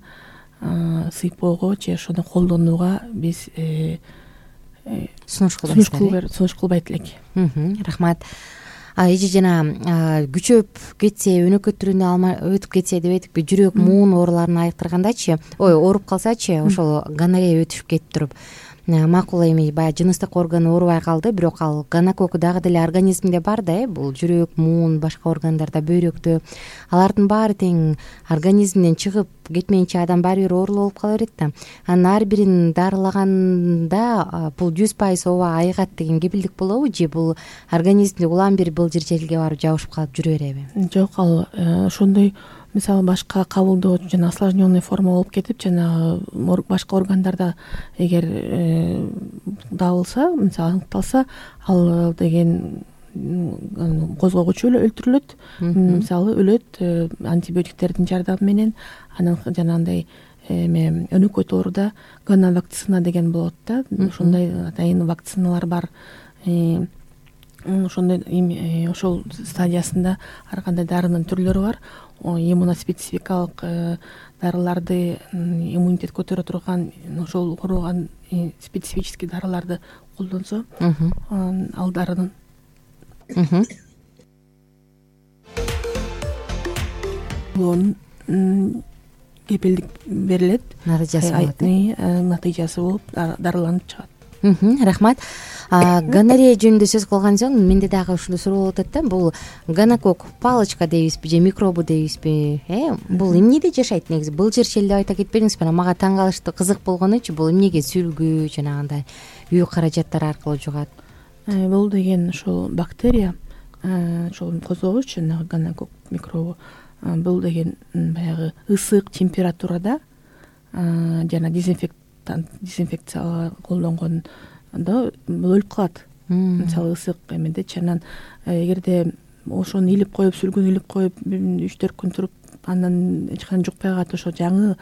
сыйпоого же ошону колдонууга биз сунуш кылбайт элек. Рахмат. Эже жана күчөп кетсе, өнөкөт түрүнө өтүп кетсе деп айтыппы, жүрөк муун ооруларын айыктыргандачы, ой, ооруп калсачы, ошол гонорея өтүшүп кетип туруп, макул эми баягы жыныстык орган оорубай калды, бирок ал гонокок дагы деле организмде бар да, э, бул жүрөк, муун, башка органдарда, бөйрөктө, алардын баары тең организмден чыгып кетмейинче адам баары бир оорулуу болуп кала берет да. Анын ар бирин дарылаганда бул жүз пайыз ооба айыгат деген кепилдик болобу, же бул организмде улам бир былжыр жерге барып жабышып калып жүрө береби? Жок, ал ошондой мисалы башка кабылдоо жана осложненный форма болуп кетип, жана башка органдарда эгер табылса, мисалы аныкталса, ал деген козгогучу өлтүрүлөт, мисалы өлөт антибиотиктердин жардамы менен. Анан жанагындай эме өнөкөт ооруда гоновакцина деген болот да, ошондой атайын вакциналар бар. Ошондой ошол стадиясында ар кандай дарынын түрлөрү бар. Иммуноспецификалык дарыларды, иммунитет көтөрө турган, ошол курган специфический дарыларды колдонсо, ал дарынын кепилдик берилет, натыйжасы болот. Натыйжасы болуп дарыланып чыгат. Рахмат. Гонорея жөнүндө сөз кылган соң менде дагы ушундай суроо болуп атат да. Бул гонокок палочка дейбизби же микробу дейбизби? Э, бул эмнеде жашайт негизи? Былжыр шел деп айта кетпедиңизби? Мага таң калыштуу, кызык болгонучу, бул эмнеге сүлгү жанагындай үй каражаттар аркылуу жугат? Бул деген ошол бактерия, ошол козгогуч жанагы гонокок микробу. Бул деген баягы ысык температурада жана дезинфектант, дезинфекция колдонгондо бул өлүп калат. Мисалы ысык эмедечи, анан эгерде ошону илип коюп, сүлгүн илип коюп үч төрт күн туруп, анан эч кандай жукпай калат, ошо жаңы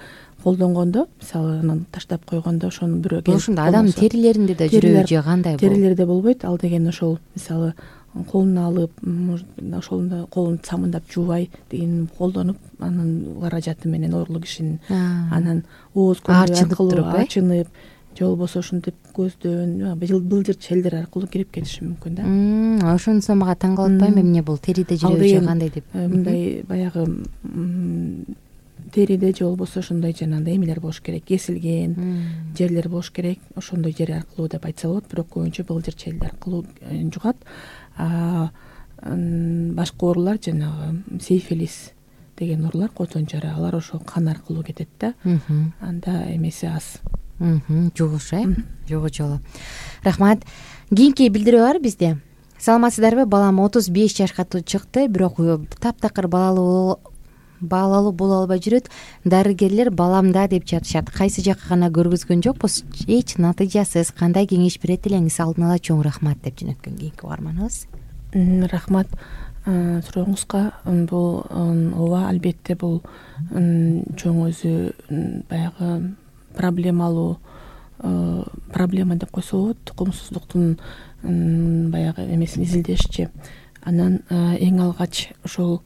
колдонгондо, мисалы анан таштап койгондо ошону бирөө ошондо адамдын терилеринде да жүрөбү же кандай? Терилерде болбойт. Ал деген ошол мисалы колуна алып, ошондо колун самындап жуубай деген колдонуп, анан каражаты менен оорулуу кишинин анан ооз көмүрү аркылуу ачынып, же болбосо ушинтип көздөн, былжыр челдер аркылуу кирип кетиши мүмкүн да. Ошонусу мага таң калып атпайбы, эмне бул териде жүрөбү же кандай деп? Мындай баягы териде же болбосо ошондой жанагындай эмелер болуш керек, кесилген жерлер болуш керек. Ошондой жер аркылуу деп айтса болот, бирок көбүнчө былжыр челдер аркылуу жугат. Башка оорулар жанагы сейфилис деген оорулар, котон жара, алар ошо кан аркылуу кетет да. Анда эмеси аз. Жугуш, э? Жогу жолу. Рахмат. Кийинки билдирүү бар бизде. Саламатсыздарбы? Балам отуз беш жашка чыкты, бирок таптакыр балалуу баалалуу боло албай жүрөт. Дарыгерлер баламда деп жатышат. Кайсы жакка гана көргөзгөн жокпуз, эч натыйжасыз. Кандай кеңеш берет элеңиз? Алдын ала чоң рахмат деп жөнөткөн кийинки угарманыбыз. Рахмат сурооңузга. Бул ооба, албетте бул чоң өзү баягы проблемалуу проблема деп койсо болот. Тукумсуздуктун баягы эмесин изилдешчи. Анан эң алгач ошол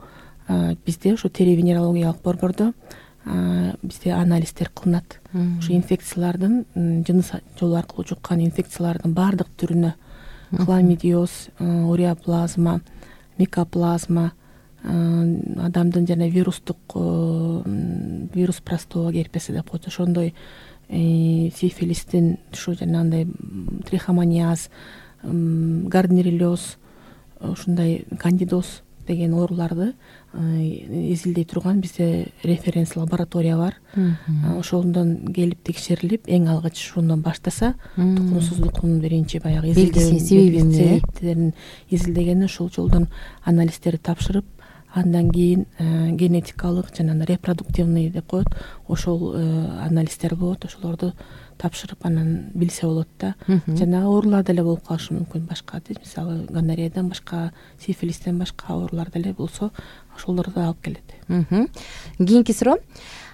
бизде ошо тери венерологиялык борбордо бизде анализдер кылынат. Ушу инфекциялардын, жыныс жолу аркылуу жуккан инфекциялардын баардык түрүнө хламидиоз, уреоплазма, микоплазма, адамдын жана вирустук вирус простоа герпеси деп коет, ошондой сифилистин, ушу жанагындай трихомониаз, гарднерилез, ушундай кандидоз деген ооруларды изилдей турган бизде референс лаборатория бар. Ошондон келип текшерилип, эң алгач ошондон баштаса, тукумсуздуктун биринчи баягы себептерин изилдеген, ушул жолдон анализдерди тапшырып, андан кийин генетикалык жана репродуктивный деп коет, ошол анализдер болот, ошолорду тапшырып анан билсе болот да. Жана оорулар деле болуп калышы мүмкүн, башка, мисалы гонореядан башка, сифилистен башка оорулар деле болсо, ошолорду алып келет. Кийинки суроо.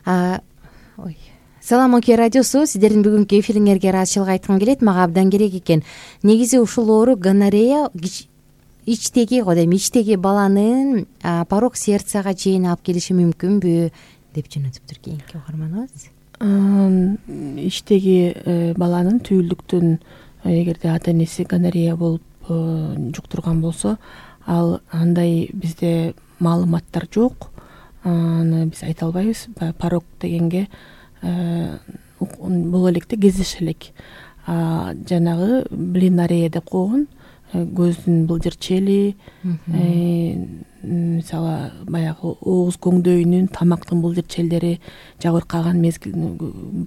Ой. Салам Оке радиосу, сиздердин бүгүнкү эфириңерге ыраазычылык айткым келет. Мага абдан керек экен. Негизи ушул оору гонорея ичтеги го дейм, ичтеги баланын порок сердцага чейин алып келиши мүмкүнбү деп жөнөтүптүр кийинки угарманыбыз. Ичтеги баланын түйүлдүктүн эгерде ата энеси гонорея болуп жуктурган болсо, ал андай бизде маалыматтар жок. Аны биз айта албайбыз. Порок дегенге боло электе кездеше элек. Жанагы блинарея деп койгон, көздүн былжыр чели, мисалы баягы ооз көңдөйүнүн, тамактын былжыр челдери жабыркаган мезгил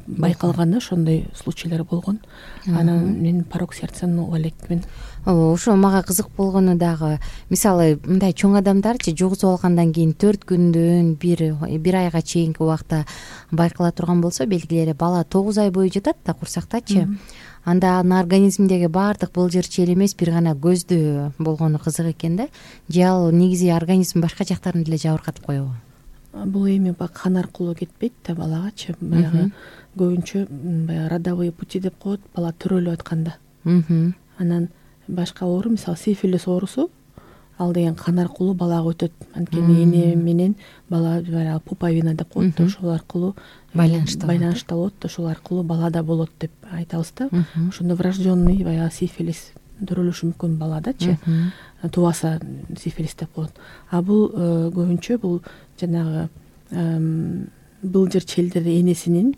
байкалган, ошондой случайлар болгон. Анан мен порок сердцаны уга элекмин. Ошо мага кызык болгону дагы, мисалы мындай чоң адамдарчы жугузуп алгандан кийин төрт күндөн бир бир айга чейинки убакта байкала турган болсо, белгилери бала тогуз ай бою жатат да курсактачы. Анда анын организминдеги баардык былжыр чел эмес, бир гана көздө болгону кызык экен да. Же ал негизи организм башка жактарын деле жабыркатып коебу? Бул эми кан аркылуу кетпейт да балагачы. Баягы көбүнчө баягы родовые пути деп коет, бала төрөлүп атканда. Анан башка оору, мисалы сифилис оорусу, ал деген кан аркылуу балага өтөт. Анткени эне менен бала баягы пуповина деп коет, ошол аркылуу байланыштуу болот, ошол аркылуу бала да болот деп айтабыз да. Ошондо врожденный баягы сифилис төрөлүшү мүмкүн баладачы, тубаса сифилис деп коет. А бул көбүнчө бул жанагы былжыр челдери энесинин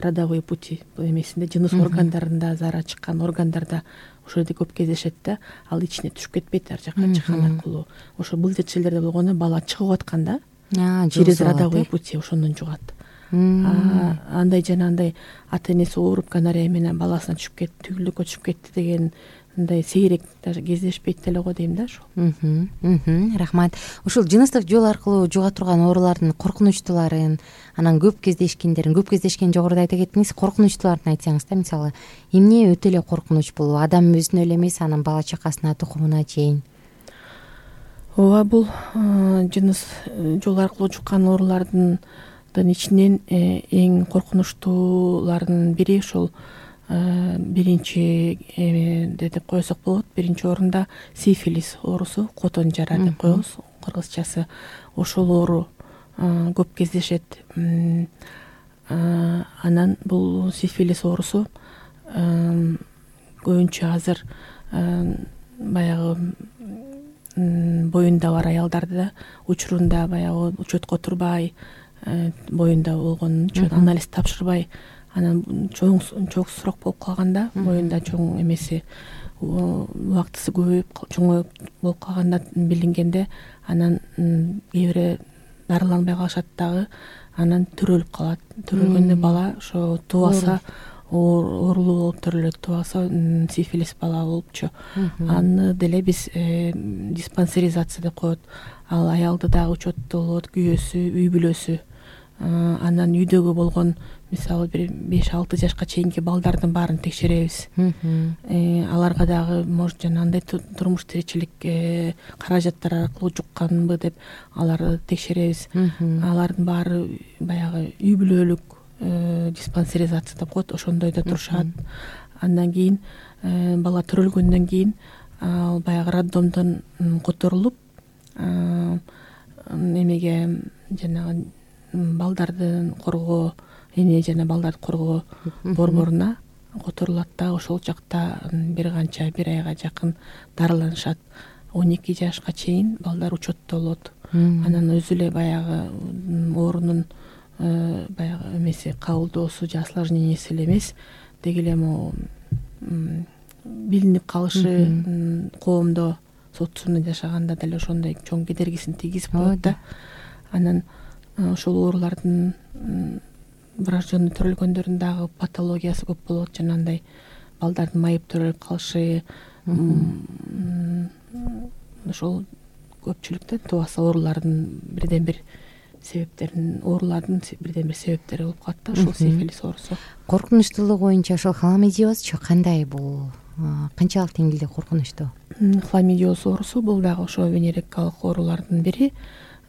родовой пути эмесинде, жыныс органдарында, зара чыккан органдарда ошол жерде көп кездешет да. Ал ичине түшүп кетпейт, ар жака чыккан аркылуу. Ошо былжыр челдерде болгону бала чыгып атканда через родовой пути ошондон жугат. Андай жана андай ата энеси ооруп гонорея менен баласына түшүп кетти, түйүлдүккө түшүп кетти деген мындай сейрек даже кездешпейт деле го дейм да ошол. Рахмат. Ушул жыныстык жол аркылуу жуга турган оорулардын коркунучтууларын, анан көп кездешкендерин, көп кездешкен жогоруда айта кеттиңиз, коркунучтууларын айтсаңыз да, мисалы, эмне өтө эле коркунуч бул? Адам өзүнө эле эмес, анын бала чакасына, тукумуна чейин. Ооба, бул жыныс жол аркылуу жуккан оорулардын ичинен эң коркунучтуулардын бири ошол биринчи деп койсок болот. Биринчи орунда сифилис оорусу, котон жара деп коебуз кыргызчасы. Ошол оору көп кездешет. Анан бул сифилис оорусу көбүнчө азыр баягы боюнда бар аялдарда учурунда баягы учетко турбай, боюнда болгон үчүн анализ тапшырбай, анан чоң чоң сурак болуп калганда, боюнда чоң эмеси убактысы көбөйүп чоң болуп калганда билингенде, анан кээ бири дарыланбай калышат дагы, анан төрөлүп калат. Төрөлгөндө бала ошо тубаса оорулуу болуп төрөлөт, тубаса сифилис бала болупчу. Аны деле биз диспансеризация деп коет. Ал аялды дагы учетто болот, күйөөсү, үй бүлөсү. Анан үйдөгү болгон, мисалы бир беш алты жашка чейинки балдардын баарын текшеребиз. Аларга дагы может жанагындай турмуш тиричилик каражаттар аркылуу жукканбы деп аларды текшеребиз. Алардын баары баягы үй бүлөлүк диспансеризация деп коет, ошондойдо турушат. Андан кийин бала төрөлгөндөн кийин ал баягы роддомдон которулуп, эмеге жанагы балдардын коргоо эне жана балдарды коргоо борборуна которулат да. Ошол жакта бир канча бир айга жакын дарыланышат. он эки жашка чейин балдар учетто болот. Анан өзү эле баягы оорунун баягы эмеси кабылдоосу же осложненияси эле эмес, деги эле могу билинип калышы коомдо социумда жашаганда деле ошондой чоң кедергисин тийгизип коет да. Анан ошол оорулардын врожденный төрөлгөндөрүн дагы патологиясы көп болот. Жанагындай балдардын майып төрөлүп калышы, ошол көпчүлүктө тубаса оорулардын бирден бир себептерин, оорулардын бирден бир себептери болуп калат да. Ошол сифилис оорусу. Коркунучтуулугу боюнча ошол хламидиозчу кандай? Бул канчалык деңгээлде коркунучтуу? Хламидиоз оорусу бул дагы ошо венерикалык оорулардын бири.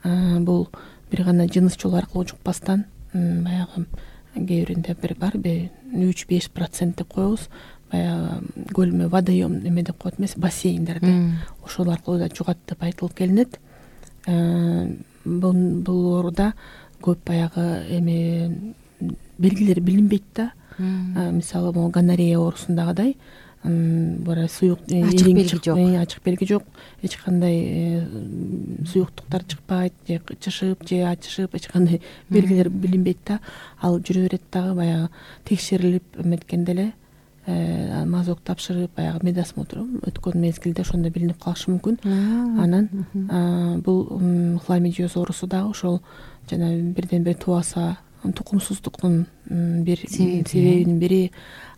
Бул бир гана жыныс жолу аркылуу жукпастан баягы кээ биринде бир барбы үч беш процент деп коебуз. Баягы көлмө водоем эме деп коет эмес, бассейндерде ошол аркылуу да жугат деп айтылып келинет. Бул ооруда көп баягы эме белгилери билинбейт да. Мисалы могу гонорея оорусундагыдай бара суюк ачык белги жок. Ачык белги жок. Эч кандай суюктуктар чыкпайт, же чышып, же ачышып, эч кандай белгилер билинбейт да. Ал жүрө берет дагы баягы текшерилип эметкенде эле мазок тапшырып, баягы медосмотр өткөн мезгилде ошондо билинип калышы мүмкүн. Анан бул хламидиоз оорусу дагы ошол жана бирден бир тубаса тукумсуздуктун бир себебинин бири.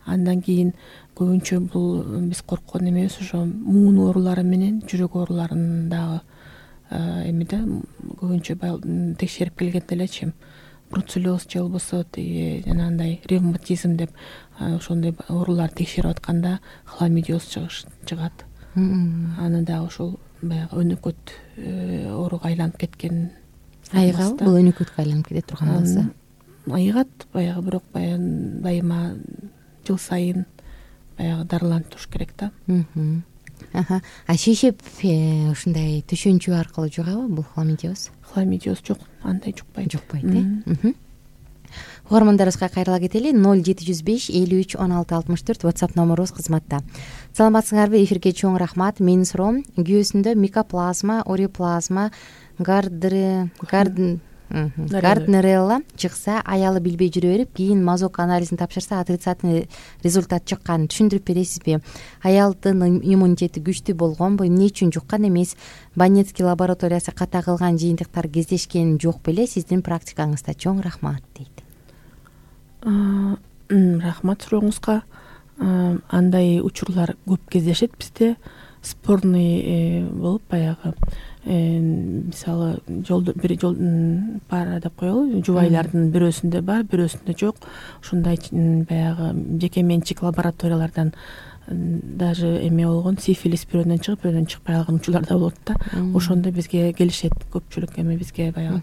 Андан кийин көбүнчө бул биз корккон эмебиз ошо муун оорулары менен жүрөк ооруларын дагы эмеде көбүнчө текшерип келгенде элечи бруцеллез же болбосо тиги жанагындай ревматизм деп ошондой ооруларды текшерип атканда хламидиоз чыгат. Аны дагы ошол баягы өнөкөт ооруга айланып кеткен. Айыгабы бул өнөкөткө айланып кете турган болсо? Айыгат баягы, бирок баягы дайыма жыл сайын баягы дарыланып туруш керек да. А шешеп ушундай түшөнчү аркылуу жугабы бул хламидиоз? Хламидиоз жок, андай жукпайт. Жукпайт, э? Угармандарыбызга кайрыла кетели. ноль жети жүз беш элүү үч он алты алтымыш төрт WhatsApp номерубуз кызматта. Саламатсыңарбы? Эфирге чоң рахмат. Менин суроом: күйөөсүндө микоплазма, ориплазма, гардер гарден Гарднерелла чыкса, аялы билбей жүрө берип, кийин мазок анализин тапшырса, отрицательный результат чыккан. Түшүндүрүп бересизби? Аялдын иммунитети күчтүү болгонбу? Эмне үчүн жуккан эмес? Банецкий лабораториясы ката кылган жыйынтыктар кездешкен жок беле? Сиздин практикаңызда. Чоң рахмат дейт. Рахмат сурооңузга. Андай учурлар көп кездешет бизде. Спорный болуп баягы мисалы жолдо бир жол пара деп коелу, жубайлардын бирөөсүндө бар, бирөөсүндө жок. Ушундай баягы жеке менчик лабораториялардан даже эме болгон сифилис бирөөдөн чыгып, бирөөдөн чыкпай калган учурлар да болот да. Ошондо бизге келишет көпчүлүк, эми бизге баягы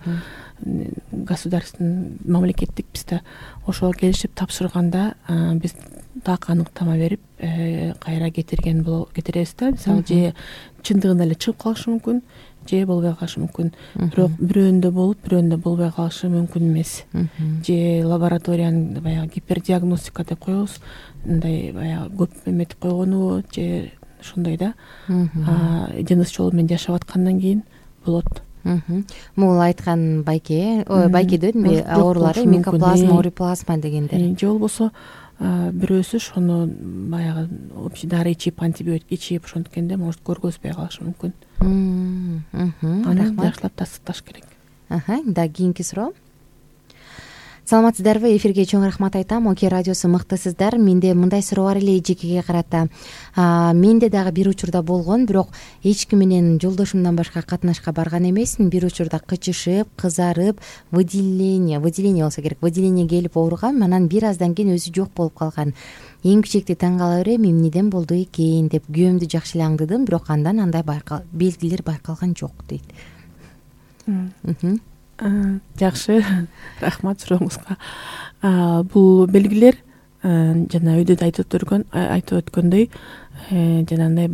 государственный мамлекеттик бизде ошого келишип тапшырганда биз так аныктама берип кайра кетирген кетиребиз да. Мисалы же чындыгында эле чыгып калышы мүмкүн, же болбой калышы мүмкүн. Бирок бирөөндө болуп, бирөөндө болбой калышы мүмкүн эмес. Же лабораториянын баягы гипердиагностика деп коебуз, мындай баягы көп эметип койгонубу, же ошондой да. Жыныс жолу менен жашап аткандан кийин болот. Могул айткан байке, ой, байке дедимби, оорулары микоплазма, ориплазма дегендер. Же болбосо бирөөсү ошону баягы общий дары ичип, антибиотик ичип ошонткенде может көргөзбөй калышы мүмкүн. Аны жакшылап тастыкташ керек. Да, кийинки суроо. Саламатсыздарбы? Эфирге чоң рахмат айтам. Оке радиосу мыктысыздар. Менде мындай суроо бар эле жекеге карата. Менде дагы бир учурда болгон, бирок эч ким менен жолдошумдан башка катнашка барган эмесмин. Бир учурда кычышып, кызарып, выделение, выделение болсо керек, выделение келип ооругам. Анан бир аздан кийин өзү жок болуп калган. Эң кичекти таң кала берем, эмнеден болду экен деп күйөөмдү жакшы эле аңдыдым, бирок андан андай байкал белгилер байкалган жок дейт. Жакшы, рахмат сурооңузга. Бул белгилер жана өйдө да айтып өткөн айтып өткөндөй жанагындай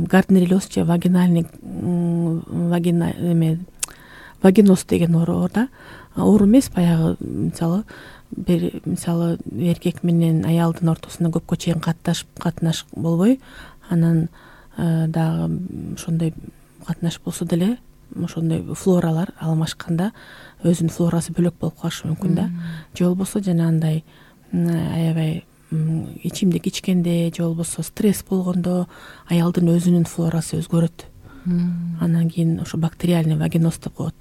гарднереллез же вагинальный вагина эме вагиноз деген оору да. оор эмес, баягы мисалы бир мисалы эркек менен аялдын ортосунда көпкө чейин катнашып катнаш болбой, анан дагы ошондой катнаш болсо деле ошондой флоралар алмашканда өзүнүн флорасы бөлөк болуп калышы мүмкүн да. Же болбосо жанагындай аябай ичимдик ичкенде, же болбосо стресс болгондо аялдын өзүнүн флорасы өзгөрөт. Анан кийин ошо бактериальный вагиноз деп коет.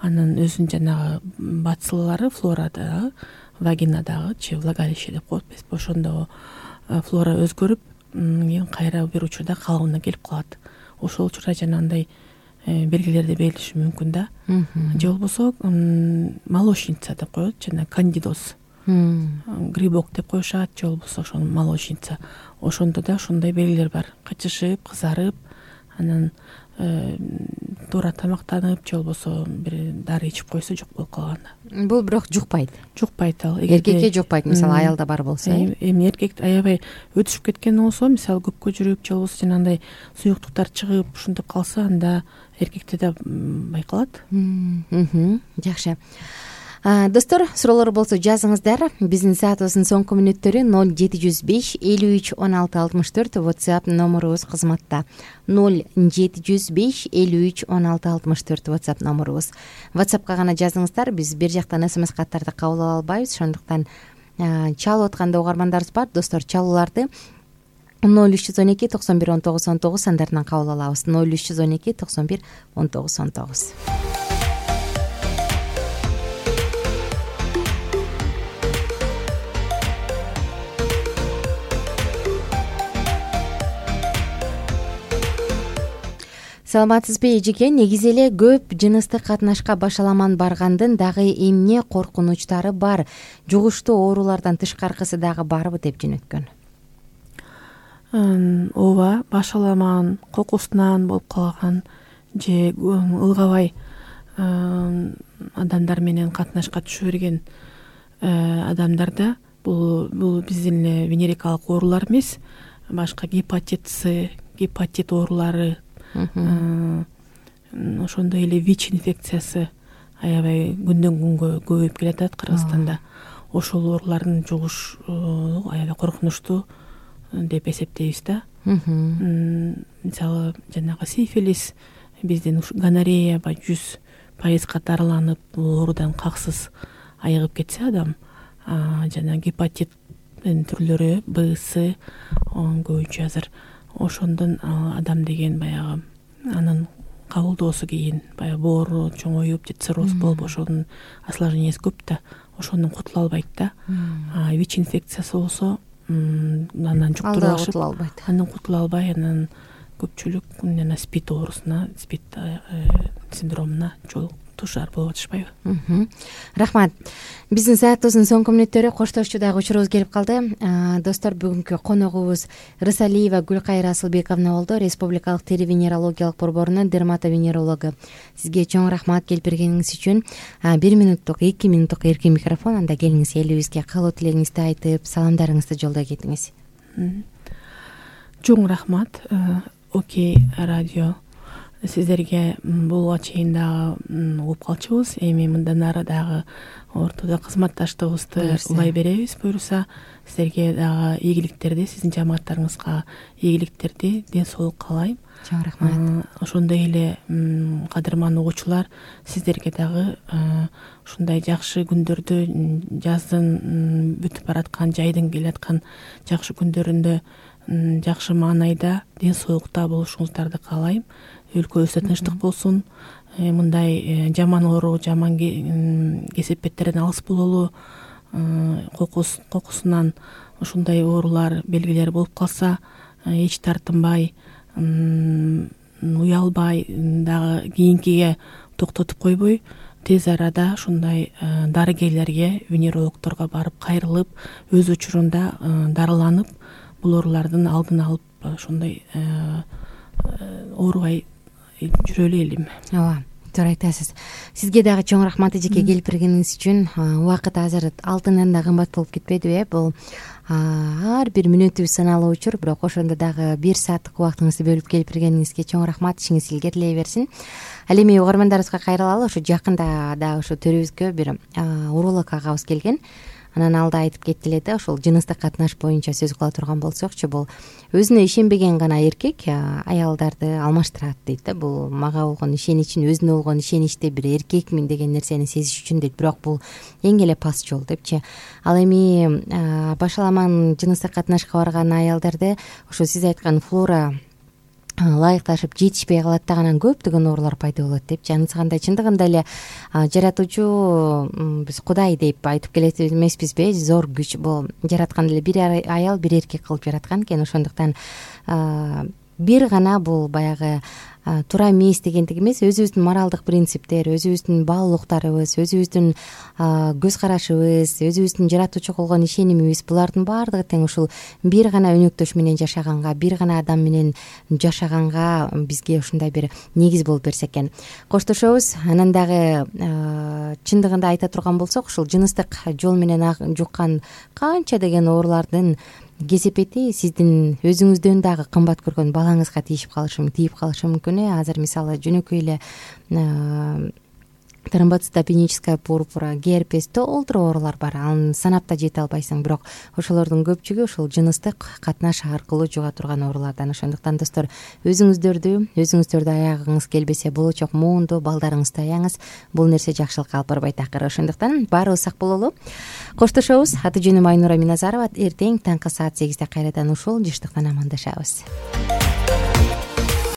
Анын өзүнүн жанагы бациллары флорадагы, вагинадагычы влагалище деп коет эмеспи, ошондо флора өзгөрүп, кийин кайра бир учурда калыбына келип калат. Ошол учурда жанагындай белгилерди берилиши мүмкүн да. Же болбосо молочница деп коет, жана кандидоз, грибок деп коюшат, же болбосо ошол молочница. Ошондо да ошондой белгилер бар. Кычышып, кызарып, анан туура тамактанып, же болбосо бир дары ичип койсо жок болуп калганда. Бул бирок жукпайт. Жукпайт ал. Эркекке жукпайт, мисалы аялда бар болсо. Эми эркек аябай өтүшүп кеткен болсо, мисалы көпкө жүрүп, же болбосо жанагындай суюктуктар чыгып, ушинтип калса, анда эркекте да байкалат. Жакшы. Достор, суроолор болсо жазыңыздар. Биздин саатыбыздын соңку мүнөттөрү ноль жети жүз беш элүү үч он алты алтымыш төрт WhatsApp номерубуз кызматта. ноль жети жүз беш элүү үч он алты алтымыш төрт WhatsApp номерубуз. WhatsAppка гана жазыңыздар. Биз бир жактан смс каттарды кабыл ала албайбыз. Ошондуктан чалып атканда угармандарыбыз бар. Достор, чалууларды ноль үч жүз он эки токсон бир он тогуз он тогуз сандарынан кабыл алабыз. ноль үч жүз он эки токсон бир он тогуз он тогуз. Саламатсызбы эжеке? Негизи эле көп жыныстык катнашка башаламан баргандын дагы эмне коркунучтары бар? Жугуштуу оорулардан тышкаркысы дагы барбы деп жөнөткөн. Ооба, башаламан, кокусунан болуп калган же ылгабай адамдар менен катнашка түшө берген адамдарда бул бул биздин эле венерикалык оорулар эмес, башка гепатит С, гепатит оорулары, ошондой эле ВИЧ инфекциясы аябай күндөн күнгө көбөйүп келатат Кыргызстанда. Ошол оорулардын жугуш аябай коркунучтуу деп эсептейбиз да. Мисалы жанагы сифилис, биздин гонорея ба жүз пайызга дарыланып, бул оорудан каксыз айыгып кетсе адам, жана гепатиттин түрлөрү Б, С көбүнчө азыр. Ошондон адам деген баягы анын кабылдоосу кийин баягы боору чоңоюп, же цирроз болуп, ошонун осложненияси көп да, ошондон кутула албайт да. ВИЧ инфекциясы болсо андан жуктуруп алышып, андан кутула албай, анан көпчүлүк жана спид оорусуна, спид синдромуна тушар болуп атышпайбы? Рахмат. Биздин саатыбыздын соңку мүнөттөрү коштошчу дагы учурубуз келип калды. Достор, бүгүнкү коногубуз Рысалиева Гүлкайыр Асылбековна болду, Республикалык тери венерологиялык борборунун дерматовенерологу. Сизге чоң рахмат келип бергениңиз үчүн. Бир минуттук, эки минуттук эркин микрофон, анда келиңиз элибизге каалоо тилегиңизди айтып, саламдарыңызды жолдой кетиңиз. Чоң рахмат. Окей, радио сиздерге буга чейин дагы угуп калчубуз. Эми мындан ары дагы ортодо кызматташтыгыбызды улай беребиз. Буюрса, сиздерге дагы ийгиликтерди, сиздин жамааттарыңызга ийгиликтерди, ден соолук каалайм. Чоң рахмат. Ошондой эле кадырман угуучулар, сиздерге дагы ушундай жакшы күндөрдү, жаздын бүтүп бараткан, жайдын келаткан жакшы күндөрүндө жакшы маанайда ден соолукта болушуңуздарды каалайм. Өлкөбүздө тынчтык болсун. Мындай жаман оору, жаман кесепеттерден алыс бололу. Кокус кокусунан ушундай оорулар, белгилер болуп калса, эч тартынбай, уялбай, дагы кийинкиге токтотуп койбой, тез арада ушундай дарыгерлерге, венерологторго барып кайрылып, өз учурунда дарыланып, бул оорулардын алдын алып, ошондой оорубай жүрөлү элем. Ооба, туура айтасыз. Сизге дагы чоң рахмат эжеке келип бергениңиз үчүн. Убакыт азыр алтындан да кымбат болуп кетпедиби э? Бул ар бир мүнөтүбүз саналуу учур, бирок ошондо дагы бир сааттык убактыңызды бөлүп келип бергениңизге чоң рахмат. Ишиңиз илгерилей берсин. Ал эми угармандарыбызга кайрылалы. Ошо жакында дагы ошо төрүбүзгө бир уролог агабыз келген. Анан алда айтып кетти эле да, ошол жыныстык катнаш боюнча сөз кыла турган болсокчу, бул өзүнө ишенбеген гана эркек аялдарды алмаштырат дейт да. Бул мага болгон ишеничин, өзүнө болгон ишеничти бир эркекмин деген нерсени сезиш үчүн дейт. Бирок бул эң эле паст жол депчи. Ал эми башаламан жыныстык катнашка барган аялдарды ошо сиз айткан флора ылайыкташып жетишпей калат да, анан көптөгөн оорулар пайда болот депчи. Анысы кандай? Чындыгында эле жаратуучу биз Кудай деп айтып келет эмеспизби? Зор күч. Бул жараткан эле бир аял, бир эркек кылып жараткан экен. Ошондуктан бир гана бул баягы туура эмес дегендик эмес, өзүбүздүн моралдык принциптер, өзүбүздүн баалуулуктарыбыз, өзүбүздүн көз карашыбыз, өзүбүздүн жаратуучуга болгон ишенимибиз, булардын баардыгы тең ушул бир гана өнөктөш менен жашаганга, бир гана адам менен жашаганга бизге ушундай бир негиз болуп берсе экен. Коштошобуз. Анан дагы чындыгында айта турган болсок, ушул жыныстык жол менен жуккан канча деген оорулардын кесепети сиздин өзүңүздөн дагы кымбат көргөн балаңызга тийип калышы тийип калышы мүмкүн э. Азыр мисалы жөнөкөй эле тромбоцитопеническая пурпура, герпес, толтура оорулар бар. Аны санап да жете албайсың, бирок ошолордун көпчүгү ушул жыныстык катнаш аркылуу жуга турган оорулардан. Ошондуктан достор, өзүңүздөрдү өзүңүздөрдү аягыңыз келбесе болочок моунду балдарыңызды аяңыз. Бул нерсе жакшылыкка алып барбайт акыры. Ошондуктан баарыбыз сак бололу. Коштошобуз. Аты жөнүм Айнура Миназарова. Эртең таңкы саат сегизде кайрадан ушул жыштыктан амандашабыз.